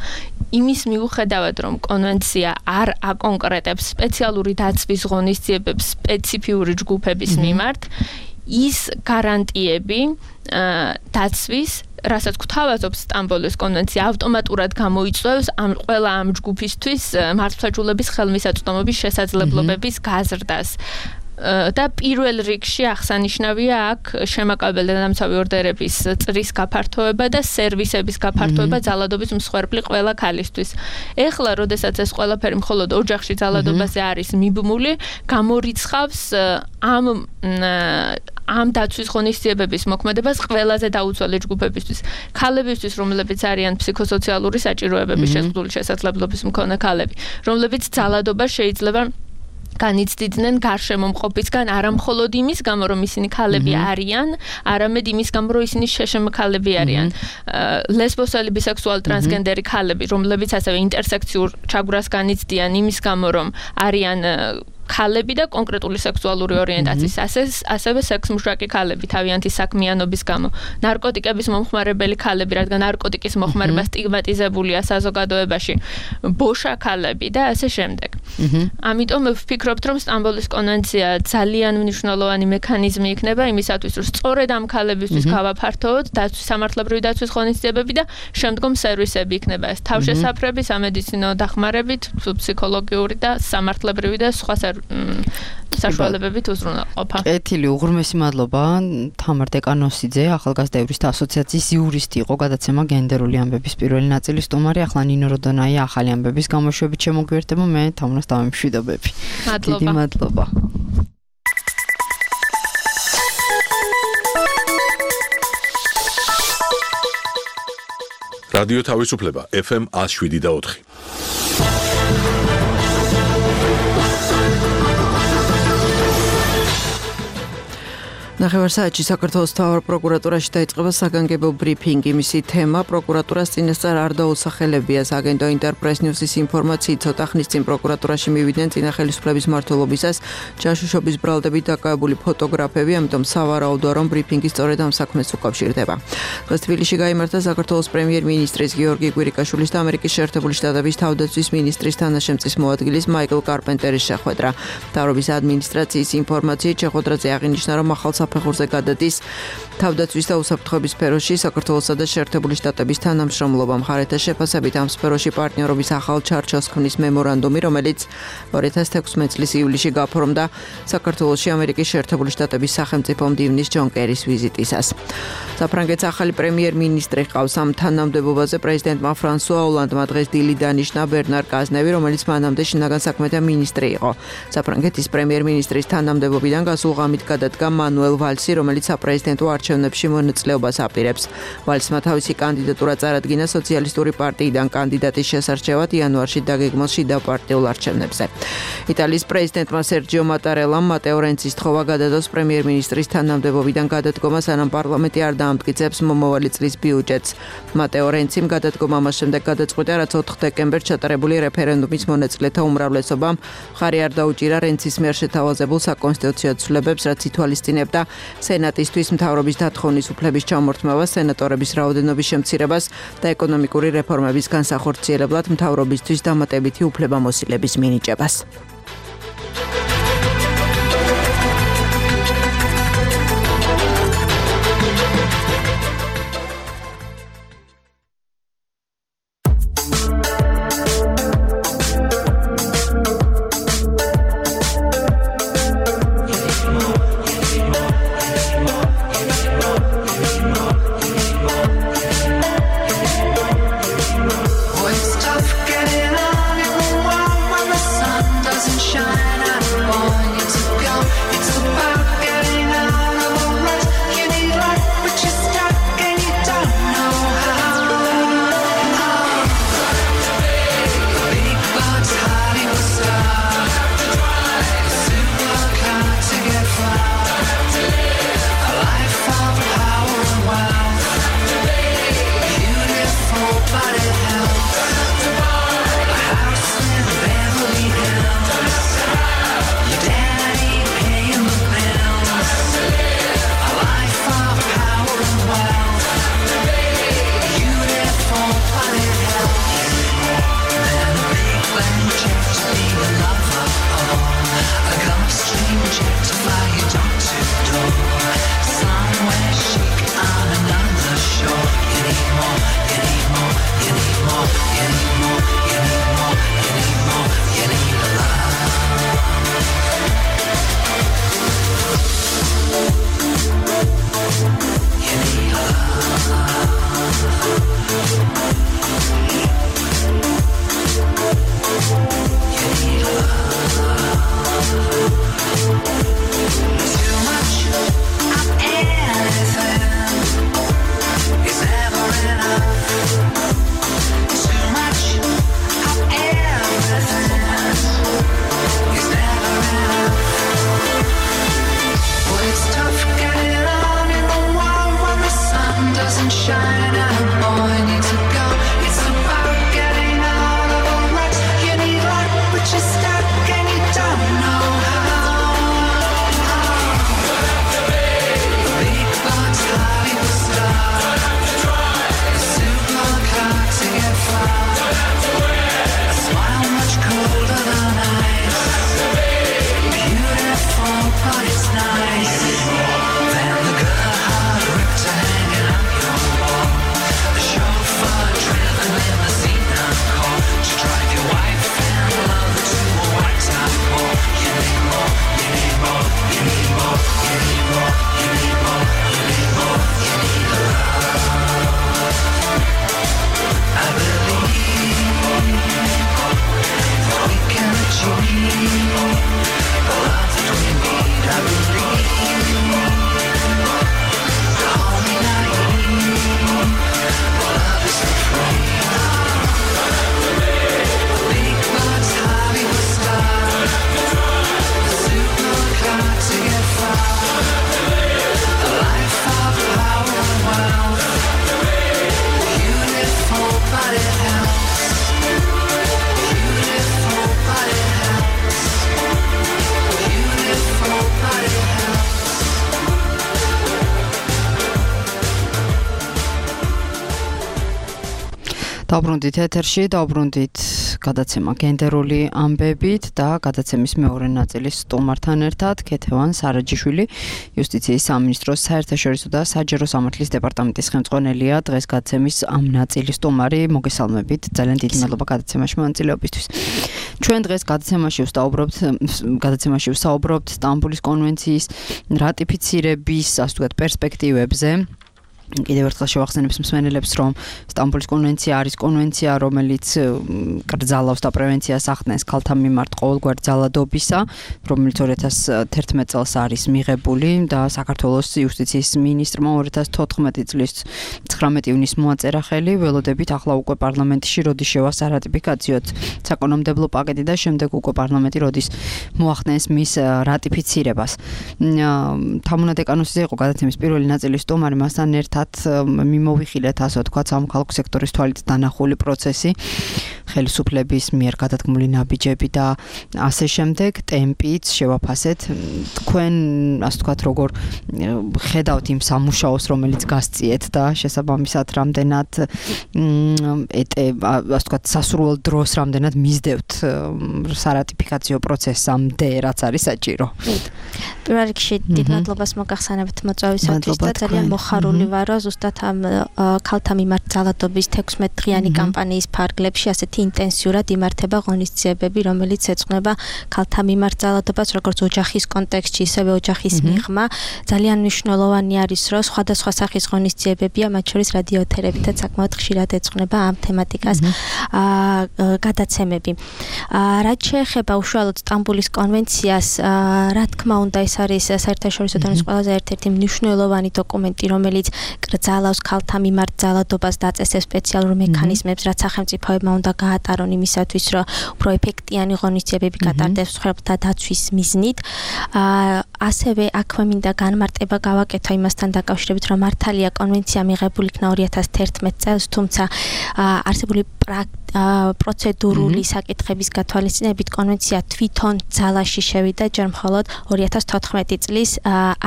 იმის მიუხედავად, რომ კონვენცია არ აკონკრეტებს სპეციალური დაცვის ღონისძიებებს სპეციფიური ჯგუფების მიმართ, ის გარანტიები დაცვის, რასაც გვთავაზობს სტამბოლის კონვენცია, ავტომატურად გამოიწვევს ამ ყველა ამ ჯგუფისთვის მართლმსაჯულების ხელმისაწვდომობის შესაძლებლობების გაზრდას. და პირველ რიგში აღსანიშნავია აქ შემაკავებელი დამცავი ორდერების წრის გაფართოება და სერვისების გაფართოება ძალადობის მსხვერპლი ყველა ქალისთვის. ეხლა, როდესაც ეს ყველაფერი მხოლოდ ოჯახში ძალადობაზე არის მიბმული, გამორიცხავს ამ ამ დაცვის ღონისძიებების მოქმედებას ყველაზე დაუცველი ჯგუფებისთვის. ქალებისთვის, რომლებიც არიან ფსიქოსოციალური საჭიროებების შეზღუდული შესაძლებლობის მქონე ქალები, რომლებიც ძალადობა შეიძლება განიცდიდნენ გარშემომყოფისგან არა მხოლოდ იმის გამო, რომ ისინი ქალები არიან, არამედ იმის გამო, რომ ისინი შეშემ ქალები არიან. ლესბოსელი, ბისექსუალი, ტრანსგენდერი ქალები, რომლებიც ასევე ინტერსექციურ ჩაგვრას განიცდიან იმის გამო, რომ არიან ქალები და კონკრეტული სექსუალური ორიენტაციის, ასევე სექსმუშაკი ქალები თავიანთი საქმიანობის გამო, ნარკოტიკების მომხმარებელი ქალები, რადგან ნარკოტიკის მოხმარება სტიგმატიზებულია საზოგადოებაში, ბოშა ქალები და ასე შემდეგ. ამიტომ ვფიქრობთ, რომ სტამბოლის კონვენცია ძალიან მნიშვნელოვანი მექანიზმი იქნება იმისათვის, რომ სწორედ ამ ქალებისთვის გავაფართოვოთ დაცვის სამართლებრივი დაცვის ღონისძიებები და შემდგომ სერვისები იქნება ეს თავშესაფრები, სამედიცინო დახმარებით, ფსიქოლოგიური და სამართლებრივი და სხვა საშუალებებით უზრუნველყოფა. კეთილი, უღრმესი მადლობა. თამარ დეკანოსიძე, ახალგაზრდა იურისტთა ასოციაციის იურისტი იყო, გადაცემა გენდერული ამბების პირველი ნაწილის სტუმარი. ახლა ნინო როდონაია ახალი ამბების გამოშვებით შემოგვიერთება, მე თამარას დავემშვიდობები. მადლობა. დიდი მადლობა. რადიო თავისუფლება ეფ ემ one oh seven და ოთხი. ნახევარსაათში საქართველოს მთავარ პროკურატურაში დაიწყება საგანგებო ბრიფინგი. მისი თემა პროკურატურას წინასწარ არ დაუსახელებია. აგენტო ინტერპრეს ნიუსის ინფორმაციით, ცოტა ხნის წინ პროკურატურაში მივიდნენ წინა ხელისუფლების მმართველობისას ჯაშუშობის ბრალდებით დაკავებული ფოტოგრაფები, ამიტომ სავარაუდოა, რომ ბრიფინგი სწორედ ამ საქმეს უკავშირდება. დღეს თბილისში გაიმართა საქართველოს პრემიერ-მინისტრის გიორგი კვირიკაშვილის და ამერიკის შეერთებული შტატების თავდაცვის მინისტრის თანაშემწის მოადგილის მაიკლ კარპენტერის შეხვედრა. მთავრობის ადმინისტრაციის ინფორმაციით შეხვედრაზე აღინიშნა, რომ ახალ საფეხურზე გადადის თავდაცვის და უსაფრთხოების სფეროში საქართველოსა და შეერთებული შტატების თანამშრომლობა. მხარეთა შეფასებით ამ სფეროში პარტნიორობის ახალ ჩარჩოს ქმნის მემორანდუმი, რომელიც ორი ათას თექვსმეტ წლის ივლისში გაფორმდა საქართველოში ამერიკის შეერთებული შტატების სახელმწიფო მდივნის ჯონ კერის ვიზიტისას. საფრანგეთის ახალი პრემიერ-მინისტრი ყავს. ამ თანამდებობაზე პრეზიდენტმა ფრანსუა ოლანდმა დღეს დილით დანიშნა ბერნარ კაზნევი, რომელიც მანამდე შინაგან საქმეთა მინისტრი იყო. საფრანგეთის პრემიერ-მინისტრის თანამდებობიდან გასულ ღამით გადადგა მანუელ ვალსი, რომელიც საპრეზიდენტო არჩევნებში მონაწილეობას აპირებს. ვალსმა თავისი კანდიდატურა წარადგინა სოციალისტური პარტიიდან კანდიდატის შესარჩევად იანვარში დაგეგმილ შიდა პარტიულ არჩევნებზე. იტალიის პრეზიდენტმა სერჯიო მატარელამ მატეო რენცის თხოვა გადადოს პრემიერ-მინისტრის თანამდებობიდან გადადგომა, სანამ პარლამენტი არ დაამტკიცებს მომავალი წლის ბიუჯეტს. მატეო რენციმ გადადგომა მას შემდეგ გადაწყვიტა, რაც ოთხ დეკემბერს ჩატარებული რეფერენდუმის მონაწილეთა უმრავლესობამ მხარი არ დაუჭირა რენცის მიერ შეთავაზებულ საკონსტიტუციო ცვლილებებს, რაც ითვალისწინებდა სენატისთვის მთავრობის დათხოვნის უფლების ჩამორთმევას, სენატორების რაოდენობის შემცირებას და ეკონომიკური რეფორმების განსახორციელებლად მთავრობისთვის დამატებითი უფლებამოსილების მინიჭებას. Shine. დავბრუნდით ეთერში, დავბრუნდით გადაცემა გენდერული ამბებით და გადაცემის მეორე ნაწილის სტუმართან ერთად ქეთევან სარაჯიშვილი, იუსტიციის სამინისტროს საერთაშორისო და საჯარო სამართლის დეპარტამენტის ხელმძღვანელია. დღეს გადაცემის ამ ნაწილის სტუმარი, მოგესალმებით. ძალიან დიდი მადლობა გადაცემაში მონაწილეობისთვის. ჩვენ დღეს გადაცემაში ვსაუბრობთ, გადაცემაში ვსაუბრობთ სტამბულის კონვენციის რატიფიცირების, ასე ვთქვათ, პერსპექტივებზე. კიდევ ერთხელ შევახსენებს მსმენელებს, რომ სტამბულის კონვენცია არის კონვენცია, რომელიც კრძალავს და პრევენციას ახდენს ქალთა მიმართ ყოველგვარ ძალადობისა, რომელიც ორი ათას თერთმეტ წელს არის მიღებული და საქართველოს იუსტიციის მინისტრმა ორი ათას თოთხმეტი წლის ცხრამეტი ივნისს მოაწერა ხელი, ველოდებით ახლა უკვე პარლამენტში როდის შევა სარატიფიკაციოდ საკანონმდებლო პაკეტი და შემდეგ უკვე პარლამენტი როდის მოახდენს მის რატიფიცირებას. თამუნა დეკანოსიძე იყო გადაცემის პირველი ნაწილის სტუმარი, მასთან ერთად მიმოვიხილეთ, ასე ვთქვათ, სამოქალაქო სექტორის თვალით დანახული პროცესი, ხელისუფლების მიერ გადადგმული ნაბიჯები და ასე შემდეგ, ტემპიც შევაფასეთ. თქვენ, ასე ვთქვათ, როგორ ხედავთ იმ სამუშაოს, რომელიც გასწიეთ და შესაბამისად რამდენად ეტე, ასე ვთქვათ, სასურველ დროს რამდენად მისდევთ სარატიფიკაციო პროცესამდე, რაც არის საჭირო. პირველ რიგში დიდ მადლობას მოგახსენებთ მოწვევისათვის და ძალიან მოხარული ვარ, რომ ზუსტად ამ ქალთა მიმართ ძალადობის თექვსმეტ დღიანი კამპანიის ფარგლებში ასეთი ინტენსიურად იმართება ღონისძიებები, რომელიც ეძღვნება ქალთა მიმართ ძალადობას, როგორც ოჯახის კონტექსტში, ისევე ოჯახის მიღმა. ძალიან მნიშვნელოვანი არის, რომ სხვადასხვა სახის ღონისძიებებია, მათ შორის რადიოეთერებითაც საკმაოდ ხშირად ეძღვნება ამ თემატიკას გადაცემები. რაც შეეხება უშუალოდ სტამბულის კონვენციას, რა თქმა უნდა, ეს არის საერთაშორისო დონის ყველაზე ერთ-ერთი მნიშვნელოვანი დოკუმენტი, რომელიც კრძალავს ქალთა მიმართ ძალადობას და აწესებს სპეციალურ მექანიზმებს, რაც სახელმწიფოებმა უნდა გაატარონ იმისათვის, რომ უფრო ეფექტიანი ღონისძიებები გატარდეს მსხვერპლთა დაცვის მიზნით. ასევე აქვე მინდა განმარტება გავაკეთო იმასთან დაკავშირებით, რომ მართალია კონვენცია მიღებული იქნა ორი ათას თერთმეტ წელს, თუმცა არსებული პროცედურული საკითხების გათვალისწინებით კონვენცია თვითონ ძალაში შევიდა ჯერ მხოლოდ ორი ათას თოთხმეტი წლის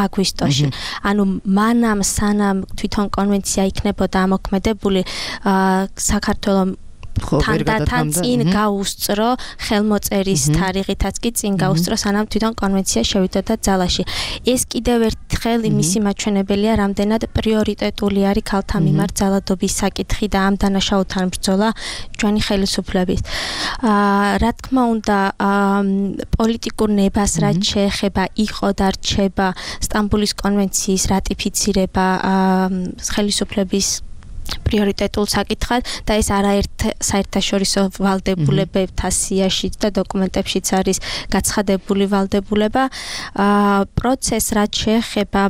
აგვისტოში. ანუ მანამ სანამ თვითონ კონვენცია იქნებოდა ამოქმედებული, საქართველოს თანდათან წინ გაუსწრო ხელმოწერის თარიღითაც კი წინ გაუსწრო, სანამ თვითონ კონვენცია შევიდოდა ძალაში. ეს კიდევ ერთხელ იმისი მაჩვენებელია, რამდენად პრიორიტეტული არის ქალთა მიმართ ძალადობის საკითხი და ამ დანაშაულთან ბრძოლა ჩვენი ხელისუფლების. რა თქმა უნდა, პოლიტიკურ ნებას რაც შეეხება იყო და რჩება სტამბულის კონვენციის რატიფიცირება ხელისუფლების პრიორიტეტულ საკითხად და ეს არაერთ საერთაშორისო ვალდებულებებთან სიაში და დოკუმენტებშიც არის გაცხადებული ვალდებულება. პროცესს რაც შეეხება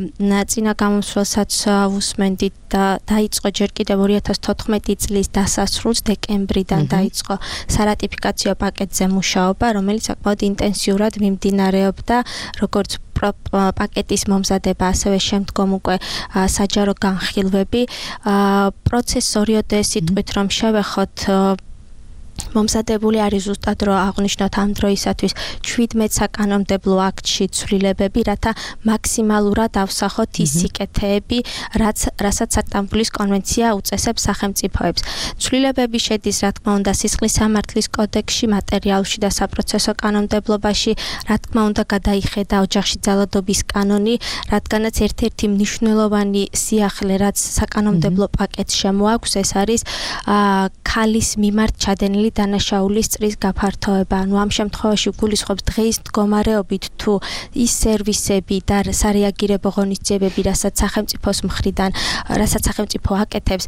წინა გამოსვლასაც უსმენდით და დაიწყო ჯერ კიდევ ორი ათას თოთხმეტი წლის დასასრულს, დეკემბრიდან დაიწყო სარატიფიკაციო პაკეტზე მუშაობა, რომელიც საკმაოდ ინტენსიურად მიმდინარეობდა, როგორც პაკეტის მომზადება, ასევე შემდგომ უკვე საჯარო განხილვები. პროცესს ორიოდე სიტყვით რომ შევეხოთ, მომზადებული არის ზუსტად რომ აღნიშნოთ ამ დროისათვის შვიდმეტ საკანონმდებლო აქტში ცვლილებები, რათა მაქსიმალურად ავსახოთ ის სიკეთეები, რაც რასაც სტამბულის კონვენცია უწესებს სახელმწიფოებს. ცვლილებები შედის, რა თქმა უნდა, სისხლის სამართლის კოდექსში, მატერიალურში და საპროცესო კანონმდებლობაში, რა თქმა უნდა, გადაიხედა ოჯახში ძალადობის კანონი, რადგანაც ერთ-ერთი მნიშვნელოვანი სიახლე, რაც საკანონმდებლო პაკეტს შემოაქვს, ეს არის ქალის მიმართ ჩადენილი დანაშაულის წრის გაფართოება. ანუ ამ შემთხვევაში გულისხმობს დღეის მდგომარეობით თუ ის სერვისები და სარეაგირებო ღონისძიებები, რასაც სახელმწიფოს მხრიდან, რასაც სახელმწიფო აკეთებს,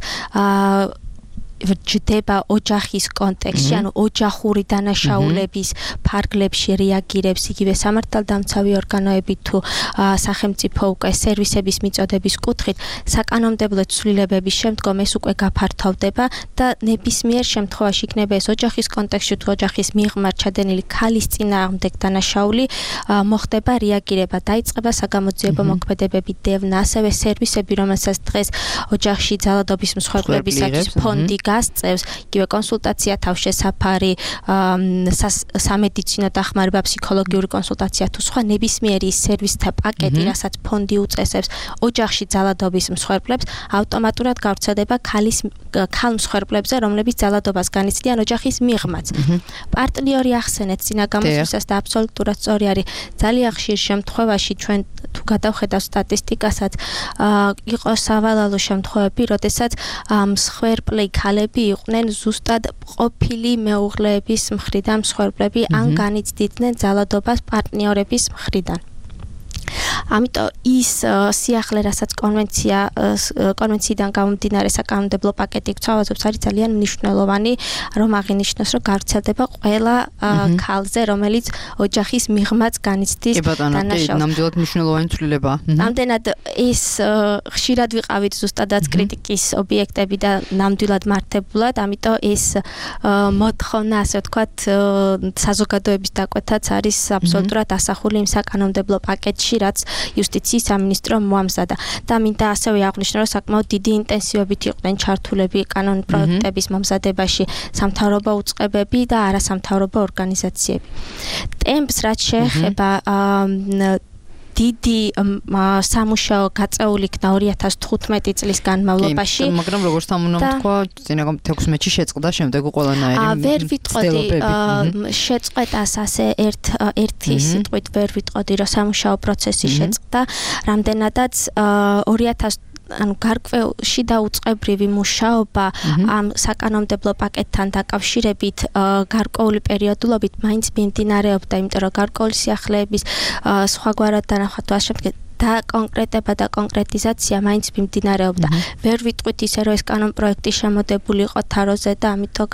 ჯდება ოჯახის კონტექსტში, ანუ ოჯახური დანაშაულების ფარგლებში რეაგირებს იგივე სამართალდამცავი ორგანოები თუ სახელმწიფო უკვე სერვისების მიწოდების კუთხით, საკანონმდებლო ცვლილებების შემდგომ ეს უკვე გაფართოვდება და ნებისმიერ შემთხვევაში იქნება ეს ოჯახის კონტექსტში თუ ოჯახის მიღმა ჩადენილი ქალის წინააღმდეგ დანაშაული, მოხდება რეაგირება, დაიწყება საგამოძიებო მოქმედებები, დევნა, ასევე სერვისები, რომელსაც დღეს ოჯახში ძალადობის მსხვერპლებისათვის ფონდი გასწევს, იგივე კონსულტაცია, თავშესაფარი, სამედიცინო დახმარება, ფსიქოლოგიური კონსულტაცია თუ სხვა ნებისმიერი სერვისთა პაკეტი, რასაც ფონდი უწესებს ოჯახში ძალადობის მსხვერპლებს, ავტომატურად გავრცელდება ქალის ქალ მსხვერპლებზე, რომლებიც ძალადობას განიცდიან ოჯახის მიღმაც. პარტნიორი ახსენეთ წინა გამოსვლისას და აბსოლუტურად სწორი არის. ძალიან ხშირ შემთხვევაში ჩვენ თუ გადავხედავ სტატისტიკასაც, იყო სავალალო შემთხვევები, როდესაც მსხვერპლი ქალები იყვნენ ზუსტად ყოფილი მეუღლეების მხრიდან მსხვერპლები ან განიცდიდნენ ძალადობას პარტნიორების მხრიდან. ამიტომ ის სიახლე, რასაც კონვენცია კონვენციიდან გამომდინარე საკანონმდებლო პაკეტი გვთავაზობს, არის ძალიან მნიშვნელოვანი, რომ აღინიშნოს, რომ გავრცელდება ყველა ქალზე, რომელიც ოჯახის მიღმაც განიცდის დანაშაულს. ნამდვილად მნიშვნელოვანი ცვლილება. ამდენად ეს ხშირად ვიყავით ზუსტადაც კრიტიკის ობიექტები და ნამდვილად მართებულად, ამიტომ ეს მოთხოვნა, ასე ვთქვათ, საზოგადოების დაკვეთაც არის აბსოლუტურად ასახული იმ საკანონმდებლო პაკეტში, რაც იუსტიციის სამინისტრო მოამზადა და მინდა ასევე აღნიშნო, რომ საკმაოდ დიდი ინტენსივობით იყვნენ ჩართულები კანონ პროექტების მომზადებაში სამთავრობო უწყებები და არასამთავრობო ორგანიზაციები. ტემპს რაც შეეხება დიდი სამუშაო გაწეული იქნა ორი ათას თხუთმეტი წლის განმავლობაში. მაგრამ როგორც ამ უნდა თქვა, წინა თექვსმეტში შეწყდა, შემდეგ უყოლანაირი ვერ ვიტყოდი შეწყვეტას ასე ერთ ერთი სიტყვით ვერ ვიტყოდი, რომ სამუშაო პროცესი შეწყდა, რამდენადაც ორი ათას ანუ გარკვეულში და უწყებრივი მუშაობა ამ საკანონმდებლო პაკეტთან დაკავშირებით გარკვეული პერიოდულობით მაინც მიმდინარეობდა, იმიტომ რომ გარკვეული სიახლეების სხვაგვარად დანახვა თუ ასე შემდეგ და კონკრეტება და კონკრეტიზაცია მაინც მიმდინარეობდა. ვერ ვიტყვით ისე, რომ ეს კანონპროექტი შემოდებული იყო თაროზე და ამიტომ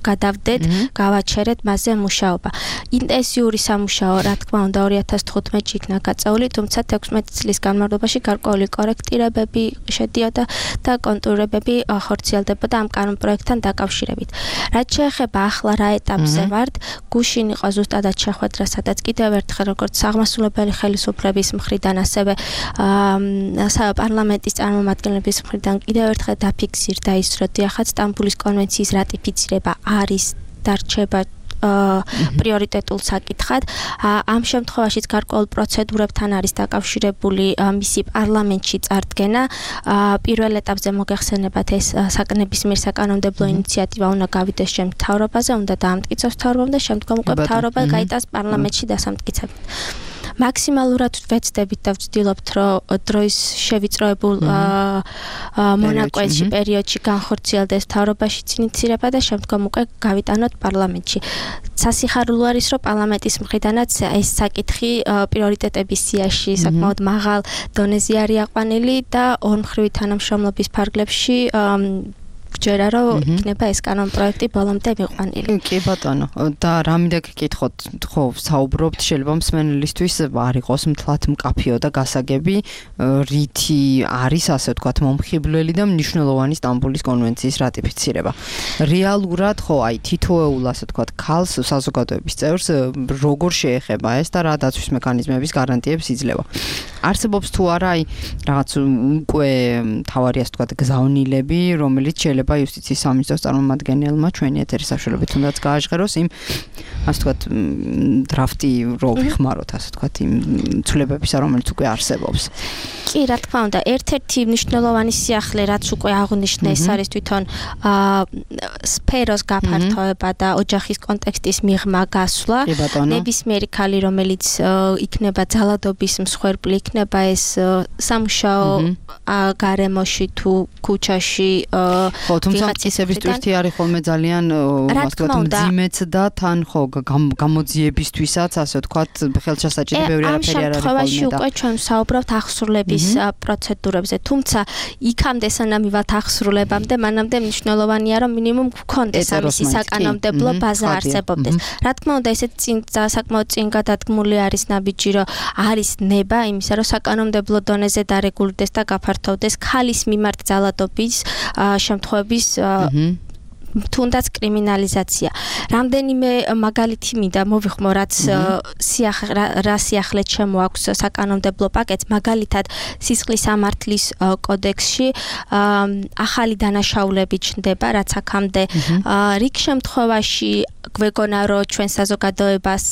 გადავდეთ, გავაჩერეთ მასზე მუშაობა. ინტენსიური სამუშაო, რა თქმა უნდა, ორი ათას თხუთმეტში იქნა გაწეული, თუმცა თექვსმეტი წლის განმავლობაში გარკვეული კორექტირებები შედიოდა და კონტურირებები ხორციელდებოდა ამ კანონპროექტთან დაკავშირებით. რაც შეეხება ახლა რა ეტაპზე ვართ, გუშინ იყო ზუსტადად შეხვედრა, სადაც კიდევ ერთხელ როგორც აღმასრულებელი ხელისუფლების მხრიდან, ასევე პარლამენტის წარმომადგენლების მხრიდან კიდევ ერთხელ დაფიქსირდა ის, რომ დიახაც სტამბულის კონვენციის რატიფიცირება არის დარჩება პრიორიტეტულ საკითხად. ამ შემთხვევაშიც გარკვეულ პროცედურებთან არის დაკავშირებული მისი პარლამენტში წარდგენა. პირველ ეტაპზე მოგეხსენებათ ეს საკნებისმიერ საკანონმდებლო ინიციატივა უნდა გავიდეს ჩემ მთავრობაზე, უნდა დაამტკიცოს მთავრობამ და შემდგომ უკვე მთავრობა გაიტანს პარლამენტში დასამტკიცებლად. მაქსიმალურად ვეცდებით და ვცდილობთ, რომ დროის შევიწროებულ მონაკვეთში პერიოდში განხორციელდეს მთავრობაშიც ინიციირება და შემდგომ უკვე გავიტანოთ პარლამენტში. სასიხარულო არის, რომ პარლამენტის მხრიდანაც ეს საკითხი პრიორიტეტების სიაში საკმაოდ მაღალ დონეზე არის აყვანილი და ორმხრივი თანამშრომლობის ფარგლებში გჯერა, რომ იქნება ეს კანონპროექტი ბოლომდე მიყვანილი. კი ბატონო, და რა მინდა გეკითხოთ, ხო, საუბრობთ, შეიძლება მსმენელისთვის არ იყოს მთლად მკაფიო და გასაგები, რითი არის, ასე ვთქვათ, მომხიბვლელი და მნიშვნელოვანი სტამბულის კონვენციის რატიფიცირება. რეალურად, ხო, აი, თითოეულ, ასე ვთქვათ, ქალს, საზოგადოების წევრს როგორ შეეხება ეს და რა დაცვის მექანიზმების გარანტიებს იძლევა. არსებობს თუ არა, აი, რაღაც უკვე თავარი, ასე ვთქვათ, გზავნილები, რომელიც შეიძლება იუსტიციის სამინისტროს წარმომადგენელმა ჩვენი ეთერის საშუალებით თუნდაც გააჟღეროს იმ, ასე ვთქვათ, დრაფტი რო ვიხმაროთ, ასე ვთქვათ, იმ ცვლილებებისა, რომელიც უკვე არსებობს. კი, რა თქმა უნდა, ერთ-ერთი მნიშვნელოვანი სიახლე, რაც უკვე აღნიშნე, ეს არის თვითონ სფეროს გაფართოება და ოჯახის კონტექსტის მიღმა გასვლა. ნებისმიერი ქალი, რომელიც იქნება ძალადობის მსხვერპლი, იქნება ეს სამუშაო გარემოში თუ ქუჩაში. ხო, თუმცა ისების ტვირთი არის ხოლმე ძალიან, ასე ვთქვათ, მძიმეც და თან ხო გამოძიებისთვისაც, ასე ვთქვათ, ხელშესაჭირო ბევრი არაფერი არ არის ხოლმე. ამ შემთხვევაში უკვე ჩვენ ვსაუბრობთ ახსრულების პროცედურებზე, თუმცა იქამდე სანამ მივათ ახსრულებამდე, მანამდე მნიშვნელოვანია, რომ მინიმუმ გქონდეს ამისი საკანონმდებლო ბაზა არსებობდეს. რა თქმა უნდა, ესეც წინ საკმაოდ წინ გადადგმული არის ნაბიჯი, რომ არის ნება იმისა, რომ საკანონმდებლო დონეზე დარეგულირდეს და გაფართოვდეს ქალის მიმართ ძალადობის შემთხვევების თუნდაც კრიმინალიზაცია. რამდენიმე მაგალითი მინდა მოვიხმო, რაც რა სიახლე შემოაქვს საკანონმდებლო პაკეტს, მაგალითად სისხლის სამართლის კოდექსში ახალი დანაშაულები ჩნდება, რაც აქამდე რიგ შემთხვევაში გვეგონა რომ ჩვენ საზოგადოებას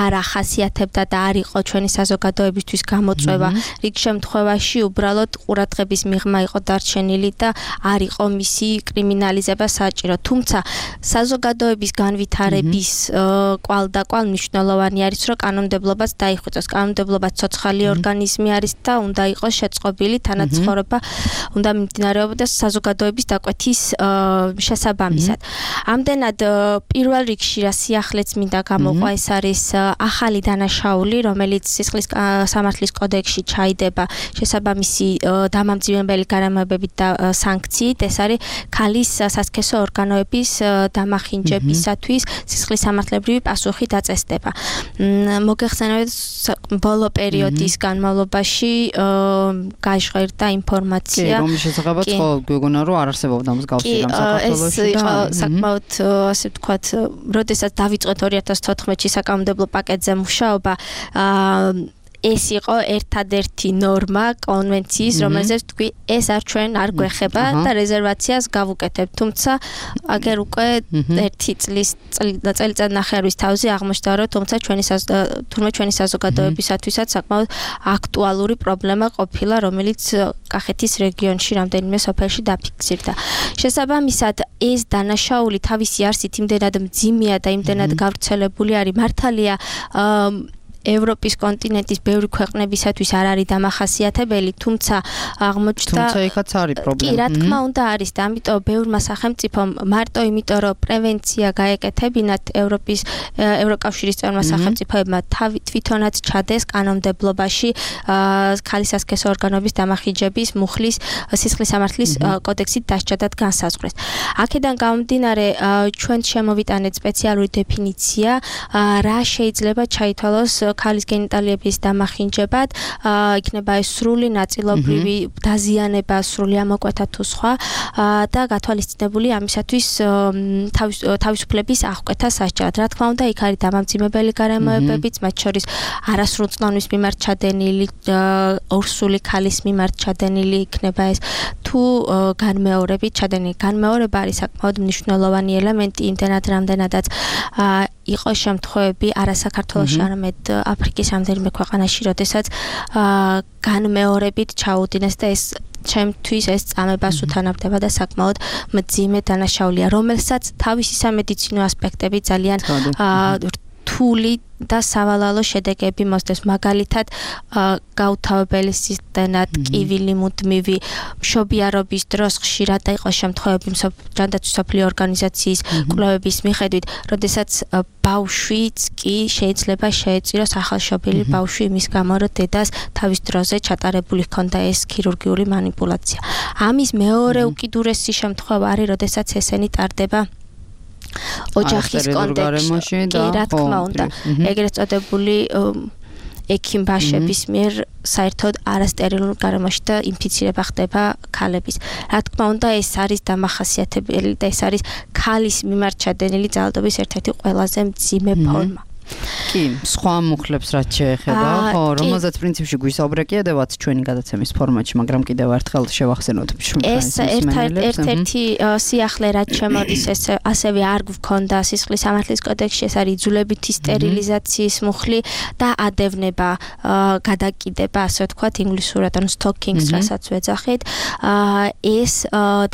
არ ახასიათებდა და არ იყო ჩვენი საზოგადოებისთვის გამოწვევა. რიგ შემთხვევაში უბრალოდ ყურადღების მიღმა იყო დარჩენილი და არ იყო მისი კრიმინალიზება საჭირო. თუმცა საზოგადოების განვითარების კვალ და კვალ მნიშვნელოვანი არის, რომ კანონმდებლობაც დაიხვეწოს. კანონმდებლობა ცოცხალი ორგანიზმი არის და უნდა იყოს შეწყობილი, თანაცხოვრება უნდა მიმდინარეობდეს საზოგადოების დაკვეთის შესაბამისად. ამდენად პირველ რიგში რა სიახლეც მინდა გამოყვა, ეს არის ახალი დანაშაული, რომელიც სისხლის სამართლის კოდექსში ჩაიდება შესაბამისი დამამძიმებელი გარემოებებით და სანქციით. ეს არის ქალის სასქესო ორგანოების დამახინჯებისათვის სისხლის სამართლებრივი პასუხი დაწესდება. მოგეხსენებათ, ბოლო პერიოდის განმავლობაში გაჟღერდა ინფორმაცია. კი, რომლის შესახებაც ხო გვეგონა რომ არ არსებობდა მსგავსი რამ საქართველოში და ეს საკმაოდ ასე ვთქვათ, როდესაც დავიწყეთ ორი ათას თოთხმეტში საკანონმდებლო პაკეტზე მუშაობა, ეს იყო ერთადერთი ნორმა კონვენციის, რომელზეც თქვი, ეს არ ჩვენ არ გვეხება და რეზერვაციას გავუკეთებთ. თუმცა აგერ უკვე ერთი წლის წელიწად ნახევრის თავზე აღმოჩნდა, რომ თუმცა ჩვენი თურმე ჩვენი საზოგადოებისათვისაც საკმაოდ აქტუალური პრობლემა ყოფილა, რომელიც კახეთის რეგიონში რამდენიმე სოფელში დაფიქსირდა. შესაბამისად, ეს დანაშაული თავისი არსით იმდენად მძიმეა და იმდენად გავრცელებული არის, მართალია ევროპის კონტინენტის ბევრი ქვეყნებისათვის არ არის დამახასიათებელი, თუმცა აღმოჩნდა თუმცა იქაც არის პრობლემა. კი, რა თქმა უნდა არის და ამიტომ ბევრმა სახელმწიფომ მარტო იმიტომ რომ პრევენცია გაეკეთებინათ ევროპის ევროკავშირის წევრმა სახელმწიფოებმა თვითონაც ჩადეს კანონმდებლობაში ქალის სასქესო ორგანოების დამახინჯების მუხლის სისხლის სამართლის კოდექსით დასჯადად განსაზღვრეს. აქედან გამომდინარე ჩვენ შემოვიტანეთ სპეციალური დეფინიცია, რა შეიძლება ჩაითვალოს ქალის გენიტალიების დამახინჯებად, იქნება ეს სრული ნაწილობრივი დაზიანება, სრული ამოკვეთა თუ სხვა და გათვალისწინებული ამისათვის თავისუფლების აღკვეთა სასჯელად. რა თქმა უნდა, იქ არის დამამძიმებელი გარემოებებიც, მათ შორის არასრულწლოვნის მიმართ ჩადენილი, ორსული ქალის მიმართ ჩადენილი იქნება ეს, თუ განმეორებით ჩადენილი. განმეორება არის საკმაოდ მნიშვნელოვანი ელემენტი, იმდენად რამდენადაც იყო შემთხვევები არა საქართველოში, არამედ აფრიკის რამდენიმე ქვეყანაში, როდესაც განმეორებით ჩაუდინეს და ეს ჩემთვის ეს წამებას უთანავდება და საკმაოდ მძიმე დანაშაულია, რომელსაც თავისი სამედიცინო ასპექტები ძალიან რთული და სავალალო შედეგები მოსდევს. მაგალითად, გაუთავებელი სისტემა, ტკივილი მუდმივი, მშობიარობის დროს ხშირად იყო შემთხვევები ჯანდაცვის მსოფლიო ორგანიზაციის კვლევების მიხედვით, როდესაც ბავშვიც კი შეიძლება შეეწიროს ახალშობილი ბავშვი იმის გამო, რომ დედას თავის დროზე ჩატარებული ჰქონდა ეს ქირურგიული манипуляცია. ამის მეორე უკიდურესი შემთხვევა არის, როდესაც ესენი ტარდება ოჯახის კონტექსტში, კი, რა თქმა უნდა, ეგრეთ წოდებული ექიმბაშების მიერ საერთოდ არასტერილურ გარემოში და ინფიცირება ხდება ქალების. რა თქმა უნდა, ეს არის დამახასიათებელი და ეს არის ქალის მიმართ ჩადენილი ძალადობის ერთ-ერთი ყველაზე მძიმე ფორმა. კი, სხვა მუხლებს რაც შეეხება, ხო, რომელზეც პრინციპში გვისაუბრე კიდევაც ჩვენი გადაცემის ფორმატში, მაგრამ კიდევ ერთხელ შევახსენოთ. ეს ერთ-ერთი სიახლე რაც შემოდის, ეს ასევე არ გვქონდა სისხლის სამართლის კოდექსში, ეს არის იძულებითი სტერილიზაციის მუხლი და ადევნება, გადაკიდება, ასე ვთქვათ, ინგლისურად, ანუ stalking-ს, რასაც ვეძახით. ეს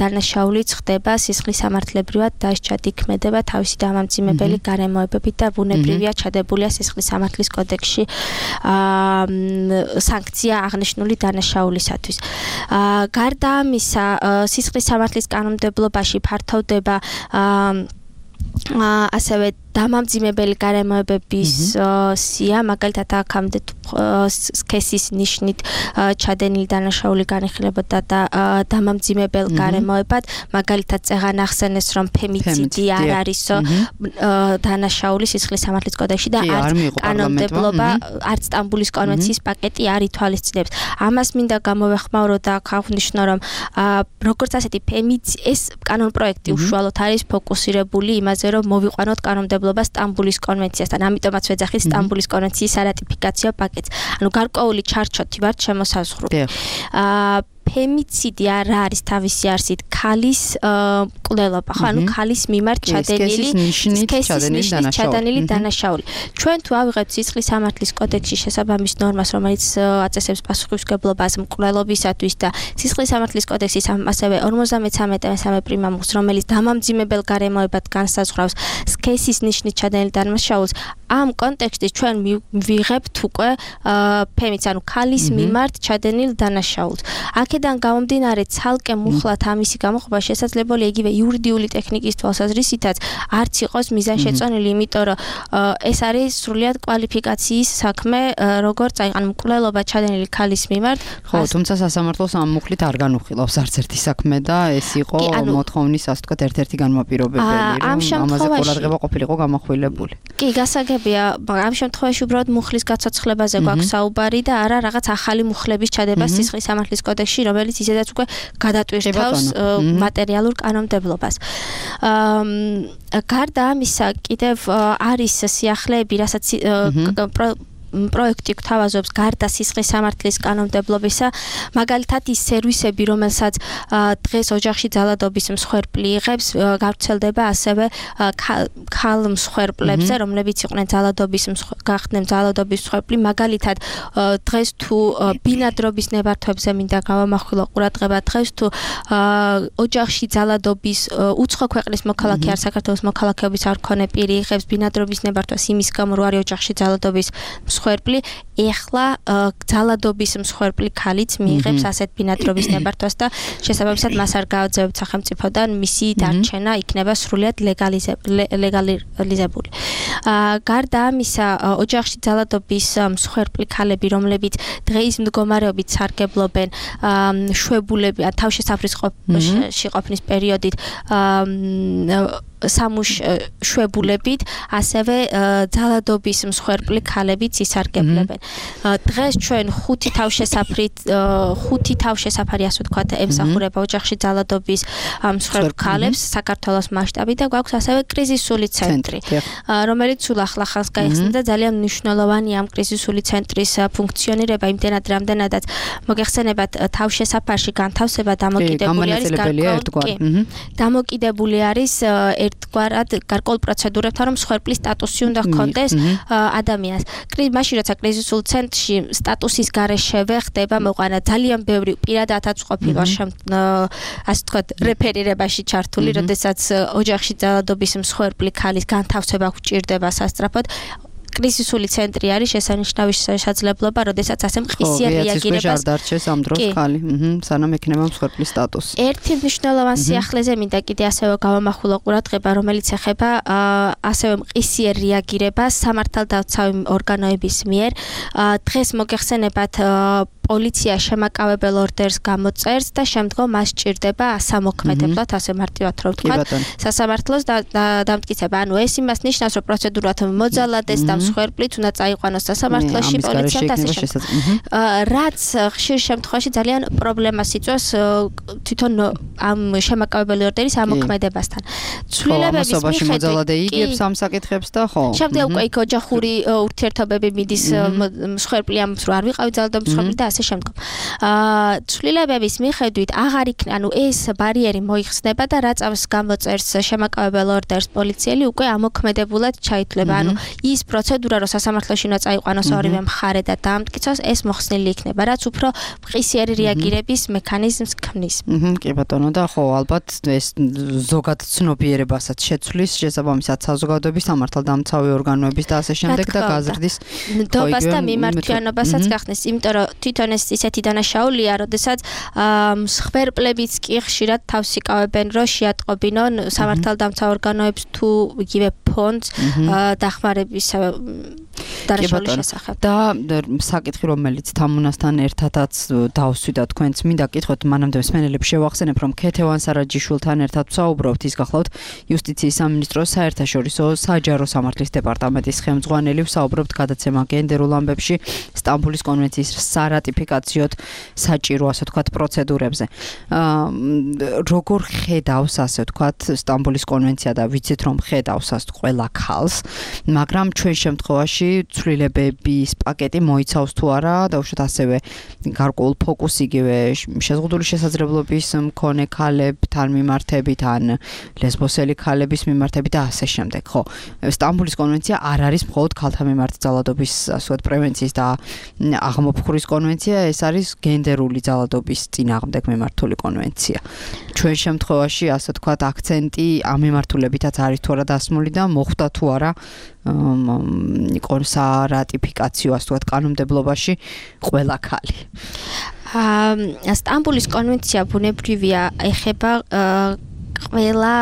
დანაშაულიც ხდება სისხლის სამართლებრივად დასჯადი ქმედება თავისი დამამძიმებელი გარემოებებით და ბუნებრივია ჩადებულია სისხლის სამართლის კოდექსში სანქცია აღნიშნული დანაშაულისათვის. გარდა ამისა, სისხლის სამართლის კანონმდებლობაში ფართოვდება ასევე დამამძიმებელი გარემოებების სია, მაგალითად აქამდე სქესის ნიშნით ჩადენილი დანაშაული განიხილებოდა და დამამძიმებელ გარემოებად, მაგალითად წეღან ახსენეს, რომ ფემიციდი არ არისო დანაშაული სისხლის სამართლის კოდექსში და არც კანონმდებლობა, არც სტამბულის კონვენციის პაკეტი არ ითვალისწინებს. ამას მინდა გამოვეხმაურო და აღნიშნო, რომ როგორც ასეთი ფემიცი ეს კანონპროექტი უშუალოდ არის ფოკუსირებული იმაზე, რომ მოვიყვანოთ კანონმდებლობა სტამბულის კონვენციასთან. ამიტომაც ვეძახით სტამბულის კონვენციის არატიფიკაციო პაკეტს. ანუ გარკვეული ჩარჩოთი ვართ შემოსაზღვრული. აა ფემიციდი არ არის თავისი არსით ქალის მკვლელობა, ხო? ანუ ქალის მიმართ ჩადენილი სქესის ჩადენილი დანაშაული. ჩვენ თუ ავიღებთ სისხლის სამართლის კოდექსში შესაბამის ნორმას, რომელიც აწესებს პასუხისმგებლობას მკვლელობისათვის და სისხლის სამართლის კოდექსის ასევე ორმოცდამეცამეტ მესამე პრიმამულს, რომელიც დამამძიმებელ გარემოებად განსაზღვრავს სქესის ნიშნით ჩადენილი დანაშაულს, ამ კონტექსტში ჩვენ ვიღებთ უკვე ფემიცი, ანუ ქალის მიმართ ჩადენილ დანაშაულს. აქედან გამომდინარე, ცალკე მუხლად ამისი გამოყოფა შესაძლებელია იგივე იურიდიული ტექნიკის თვალსაზრისითაც არც იყოს მიზანშეწონილი, იმიტომ რომ ეს არის სრულიად კვალიფიკაციის საქმე, როგორც აი ანუ მკვლელობა ჩადენილი ქალის მიმართ. ხო, თუმცა სასამართლოს ამ მუხლით არ განუხილავს არც ერთი საქმე და ეს იყო მოთხოვნის, ასე ვთქვათ, ერთ-ერთი განმაპირობებელი, რომ ამაზე ყურადღება ყოფილიყო გამახვილებული. კი, გასაგებია, ამ შემთხვევაში უბრალოდ მუხლის გაცოცხლებაზე გვაქვს საუბარი და არა რაღაც ახალი მუხლების ჩადება სისხლის სამართლის კოდექსში, რომელიც ისედაც უკვე გადატვირთავს მატერიალურ კანონმდებლობას. გარდა ამისა, კიდევ არის სიახლეები, რასაც პროექტი გვთავაზობს გარდა სისხლის სამართლის კანონმდებლობისა, მაგალითად ის სერვისები, რომელსაც დღეს ოჯახში ძალადობის მსხვერპლი იღებს, გავრცელდება ასევე ქალ მსხვერპლებზე, რომლებიც იყვნენ ძალადობის გახდნენ ძალადობის მსხვერპლი, მაგალითად დღეს თუ ბინადრობის ნებართვებზე მინდა გავამახვილო ყურადღება, დღეს თუ ოჯახში ძალადობის უცხო ქვეყნის მოქალაქე არ საქართველოს მოქალაქეობის არ მქონე პირი იღებს ბინადრობის ნებართვას იმის გამო, რომ არის ოჯახში ძალადობის მსხვერპლი, ეხლა ძალადობის მსხვერპლი ქალიც მიიღებს ასეთ ბინადრობის ნებართვას და შესაბამისად მას არ გააძევებთ სახელმწიფოდან, მისი დარჩენა იქნება სრულიად ლეგალიზებული. გარდა ამისა, ოჯახში ძალადობის მსხვერპლი ქალები, რომლებიც დღეის მდგომარეობით სარგებლობენ შვებულები, თავშესაფრის ყოფნის პერიოდით სამუშ-შვებულებით, ასევე ძალადობის მსხვერპლი ქალებიც ისარგებლებენ. დღეს ჩვენ ხუთი თავშესაფრით, ხუთი თავშესაფარი, ასე ვთქვათ, ემსახურება ოჯახში ძალადობის მსხვერპლ ქალებს საქართველოს მასშტაბით და გვაქვს ასევე კრიზისული ცენტრი, რომელიც სულ ახლახანს გაიხსნა და ძალიან მნიშვნელოვანია ამ კრიზისული ცენტრის ფუნქციონირება, იმდენად, რამდენადაც მოგეხსენებათ, თავშესაფარში განთავსება დამოკიდებული არის დამოკიდებული არის ერთგვარად გარკვეულ პროცედურებთან, რომ მსხვერპლის სტატუსი უნდა ჰქონდეს ადამიანს. მაშინ როცა კრიზისულ ცენტრში სტატუსის გარეშე ხდება მოყვანა, ძალიან ბევრი პირადადაც ყოფილა ასე ვთქვათ რეფერირებაში ჩართული, როდესაც ოჯახში ძალადობის მსხვერპლი ქალის განთავსება გვჭირდება სასწრაფოდ. კრიზისული ცენტრი არის შესანიშნავი შესაძლებლობა, როდესაც ასე მყისიერ რეაგირებას არ დარჩეს ამ დროს ქალი, სანამ ექნება მსხვერპლის სტატუსი. ერთი მნიშვნელოვანი სიახლეზე მინდა კიდე ასევე გავამახვილო ყურადღება, რომელიც ეხება ასევე მყისიერ რეაგირებას სამართალდაცავი ორგანოების მიერ. დღეს მოგეხსენებათ, პოლიცია შემაკავებელ ორდერს გამოწერს და შემდგომ მას სჭირდება ასამოქმედებლად, ასე მარტივად რომ ვთქვათ, სასამართლოს დამტკიცება. ანუ ეს იმას ნიშნავს, რომ პროცედურად მოძალადეს და მსხვერპლით უნდა წაიყვანოს სასამართლოში პოლიციამ და ასე შემდეგ. რაც ხშირ შემთხვევაში ძალიან პრობლემას იწვევს თვითონ ამ შემაკავებელი ორდერის ამოქმედებასთან. ცვლილებების მიხედვით მოძალადე იგებს ამ საკითხებს და ხო. შემდეგ უკვე იქ ოჯახური ურთიერთობები მიდის მსხვერპლი ამბობს, რომ არ ვიყავი ძალადობის მსხვერპლი და ასე შემდგომ. აა ცვლილებების მიხედვით აღარ იქნება, ანუ ეს ბარიერი მოიხსნება და რაც ამს გამოწერს შემაკავებელ ორდერს პოლიციელი უკვე ამოქმედებულად ჩაითვლება. ანუ ის პროცედურა, რომ სასამართლოში უნდა წაიყვანოს ორივე მხარე და დაამტკიცოს, ეს მოხსნილი იქნება, რაც უფრო მყისიერი რეაგირების მექანიზმს ქმნის. კი ბატონო, და ხო, ალბათ ეს ზოგად ცნობიერებასაც შეცვლის, შესაბამისად საზოგადოების სამართალდამცავი ორგანოების და ასე შემდეგ და გაზრდის ნდობას და მიმართვიანობასაც გახსნის, იმიტომ რომ თვითონ აჩვენეს ისეთი დანაშაულია, როდესაც მსხვერპლებიც კი ხშირად თავს იკავებენ, რომ შეატყობინონ სამართალდამცა ორგანოებს თუ იგივე ფონდს დახმარების დანაშაულის შესახებ. და საკითხი, რომელიც თამუნასთან ერთადაც დავსვიდა თქვენც, მინდა გითხოთ, მანამდე მსმენელებს შევახსენებ, რომ ქეთევან სარაჯიშვილთან ერთად ვსაუბრობთ, ის გახლავთ იუსტიციის სამინისტროს საერთაშორისო საჯარო სამართლის დეპარტამენტის ხელმძღვანელი, ვსაუბრობთ გადაცემა გენდერულ ამბებში, სტამბულის კონვენციის სარატიფიკაციოდ საჭირო, ასე ვთქვათ, პროცედურებზე. როგორ ხედავს, ასე ვთქვათ, სტამბულის კონვენცია და ვიცით, რომ ხედავს ასე ყველა ქალს, მაგრამ ჩვენ შემთხვევაში ცვლილებების პაკეტი მოიცავს თუ არა, დაუშვათ ასევე გარკვეულ ფოკუსს იგივე შეზღუდული შესაძლებლობის მქონე ქალებთან მიმართებით ან ლესბოსელი ქალების მიმართებით და ასე შემდეგ, ხო? სტამბულის კონვენცია არ არის მხოლოდ ქალთა მიმართ ძალადობის, ასე ვთქვათ, პრევენციის და აღმოფხურის კონვენცია, ეს არის გენდერული ძალადობის წინააღმდეგ მიმართული კონვენცია. ჩვენ შემთხვევაში, ასე ვთქვათ, აქცენტი ამ მიმართულებითაც არის თუ არა დასმული და მოხვდა თუ არა სარატიფიკაციო, ასე ვთქვათ, კანონმდებლობაში ყველა ქალი. სტამბულის კონვენცია ბუნებრივია ეხება ყველა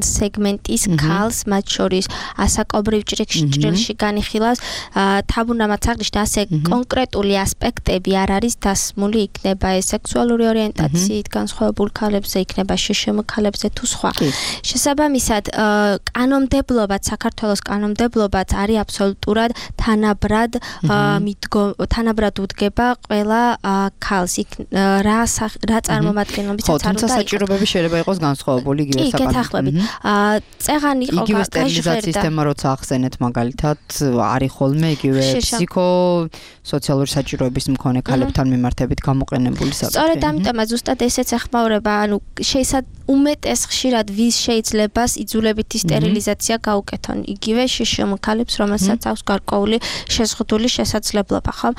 სეგმენტის ქალს, მათ შორის ასაკობრივ ჭრილში განიხილავს. თამუნამაც აღნიშნა, ასე კონკრეტული ასპექტები არ არის დასმული, იქნება ეს სექსუალური ორიენტაციით განსხვავებულ ქალებზე, იქნება შშმ ქალებზე თუ სხვა. შესაბამისად, კანონმდებლობაც, საქართველოს კანონმდებლობაც არის აბსოლუტურად თანაბრად თანაბრად უდგება ყველა ქალს. რა რა წარმომადგენლობითაც არ უნდა თუმცა საჭიროებები შეიძლება იყოს განსხვავებული იგივე საკანონმდებლო. კი, გეთახმებით. წეღანი იყო იგივე სტერილიზაციის თემა როცა ახსენეთ მაგალითად, არის ხოლმე იგივე ფსიქო სოციალური საჭიროების მქონე ქალებთან მიმართებით გამოყენებული საკითხი. სწორედ ამიტომაც ზუსტად ესეც ეხმაურება, ანუ შეიძლება უმეტეს ხშირად ვის შეიძლება იძულებითი სტერილიზაცია გაუკეთონ. იგივე შშმ ქალებს, რომელსაც აქვს გარკვეული შეზღუდული შესაძლებლობა, ხო?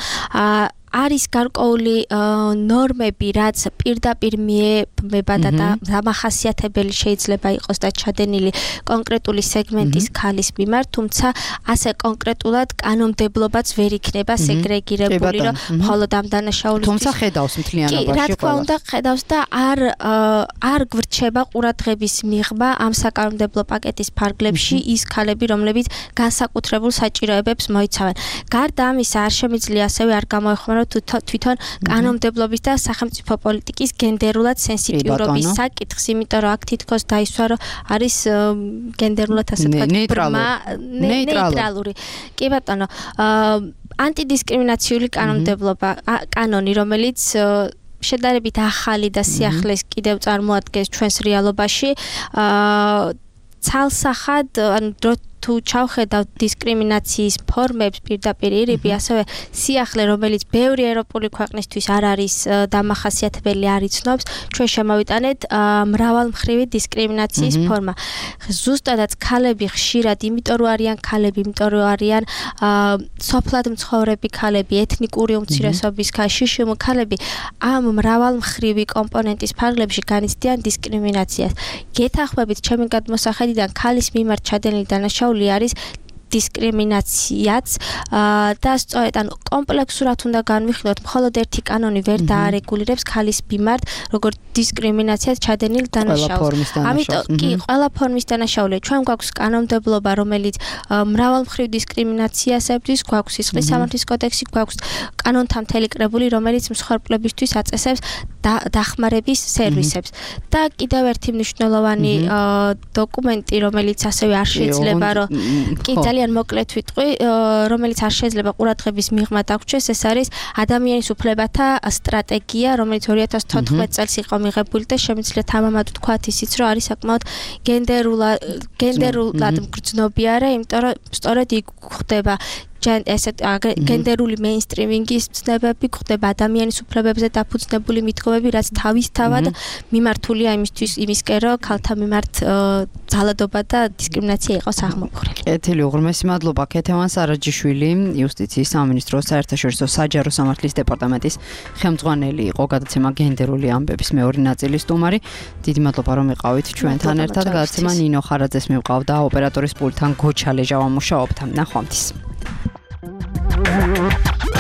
არის გარკვეული ნორმები, რაც პირდაპირ მიემება და დამახასიათებელი შეიძლება იყოს და ჩადენილი კონკრეტული სეგმენტის ქალის მიმართ, თუმცა ასე კონკრეტულად კანონმდებლობაც ვერ იქნება სეგრეგირებული, რომ მხოლოდ ამ დანაშაულისთვის. თუმცა ხედავს მთლიანობაში ყველა. კი, რა თქმა უნდა, ხედავს და არ არ გვრჩება ყურადღების მიღმა ამ საკანონმდებლო პაკეტის ფარგლებში ის ქალები, რომლებიც განსაკუთრებულ საჭიროებებს მოიცავენ. გარდა ამისა, არ შემიძლია ასევე არ გამოეხმარო თვითონ კანონმდებლობის და სახელმწიფო პოლიტიკის გენდერულად სენსიტიურობის საკითხს, იმიტომ რომ აქ თითქოს დაისვა, რომ არის გენდერულად ასე ვთქვათ, ნეიტრალური. კი ბატონო, ანტიდისკრიმინაციული კანონმდებლობა, კანონი, რომელიც შედარებით ახალი და სიახლეს კიდევ წარმოადგენს ჩვენს რეალობაში, ცალსახად, ანუ თუ ჩავხედავთ დისკრიმინაციის ფორმებს პირდაპირ ირიბი, ასევე სიახლე, რომელიც ბევრი ევროპული ქვეყნისთვის არ არის დამახასიათებელი, არ იცნობს, ჩვენ შემოვიტანეთ მრავალმხრივი დისკრიმინაციის ფორმა. ზუსტადაც ქალები ხშირად, იმიტომ რომ არიან ქალები, იმიტომ რომ არიან სოფლად მცხოვრები ქალები, ეთნიკური უმცირესობის შშმ ქალები, ამ მრავალმხრივი კომპონენტის ფარგლებში განიცდიან დისკრიმინაციას. გეთახმებით, ჩემი გადმოსახედიდან ქალის მიმართ ჩადენილი დანაშაული არის დისკრიმინაციაც და სწორედ ანუ კომპლექსურად უნდა განვიხილოთ, მხოლოდ ერთი კანონი ვერ დაარეგულირებს ქალის მიმართ როგორც დისკრიმინაციას ჩადენილ დანაშაულს. ამიტომ კი, ყველა ფორმის დანაშაულია. ჩვენ გვაქვს კანონმდებლობა, რომელიც მრავალმხრივ დისკრიმინაციას ებრძვის, გვაქვს სისხლის სამართლის კოდექსი, გვაქვს კანონთა მთელი კრებული, რომელიც მსხვერპლებისთვის აწესებს დახმარების სერვისებს. და კიდევ ერთი მნიშვნელოვანი დოკუმენტი, რომელიც ასევე არ შეიძლება, რომ კი ძალიან მოკლედ ვიტყვი, რომელიც არ შეიძლება ყურადღების მიღმა დაგვრჩეს, ეს არის ადამიანის უფლებათა სტრატეგია, რომელიც ორი ათას თოთხმეტ წელს იყო მიღებული და შემიძლია თამამად ვთქვათ ისიც, რომ არის საკმაოდ გენდერულად გენდერულად მგრძნობიარე, იმიტომ რომ სწორედ იქ ხდება ესეთ გენდერული მეინსტრიმინგის ცნებები, ხდება ადამიანის უფლებებზე დაფუძნებული მიდგომები, რაც თავისთავად მიმართულია იმისთვის, იმისკენ, რომ ქალთა მიმართ ძალადობა და დისკრიმინაცია იყოს აღმოფხვრილი. კეთილი, უღრმესი მადლობა. ქეთევან სარაჯიშვილი, იუსტიციის სამინისტროს საერთაშორისო საჯარო სამართლის დეპარტამენტის ხელმძღვანელი იყო, გადაცემა გენდერული ამბების მეორე ნაწილის სტუმარი. დიდი მადლობა, რომ იყავით ჩვენთან ერთად. გადაცემა ნინო ხარაძეს მივყავდა, ოპერატორის პულტთან გოჩა ლეჟავა მუშაობდა. ნახვამდის. Thank you.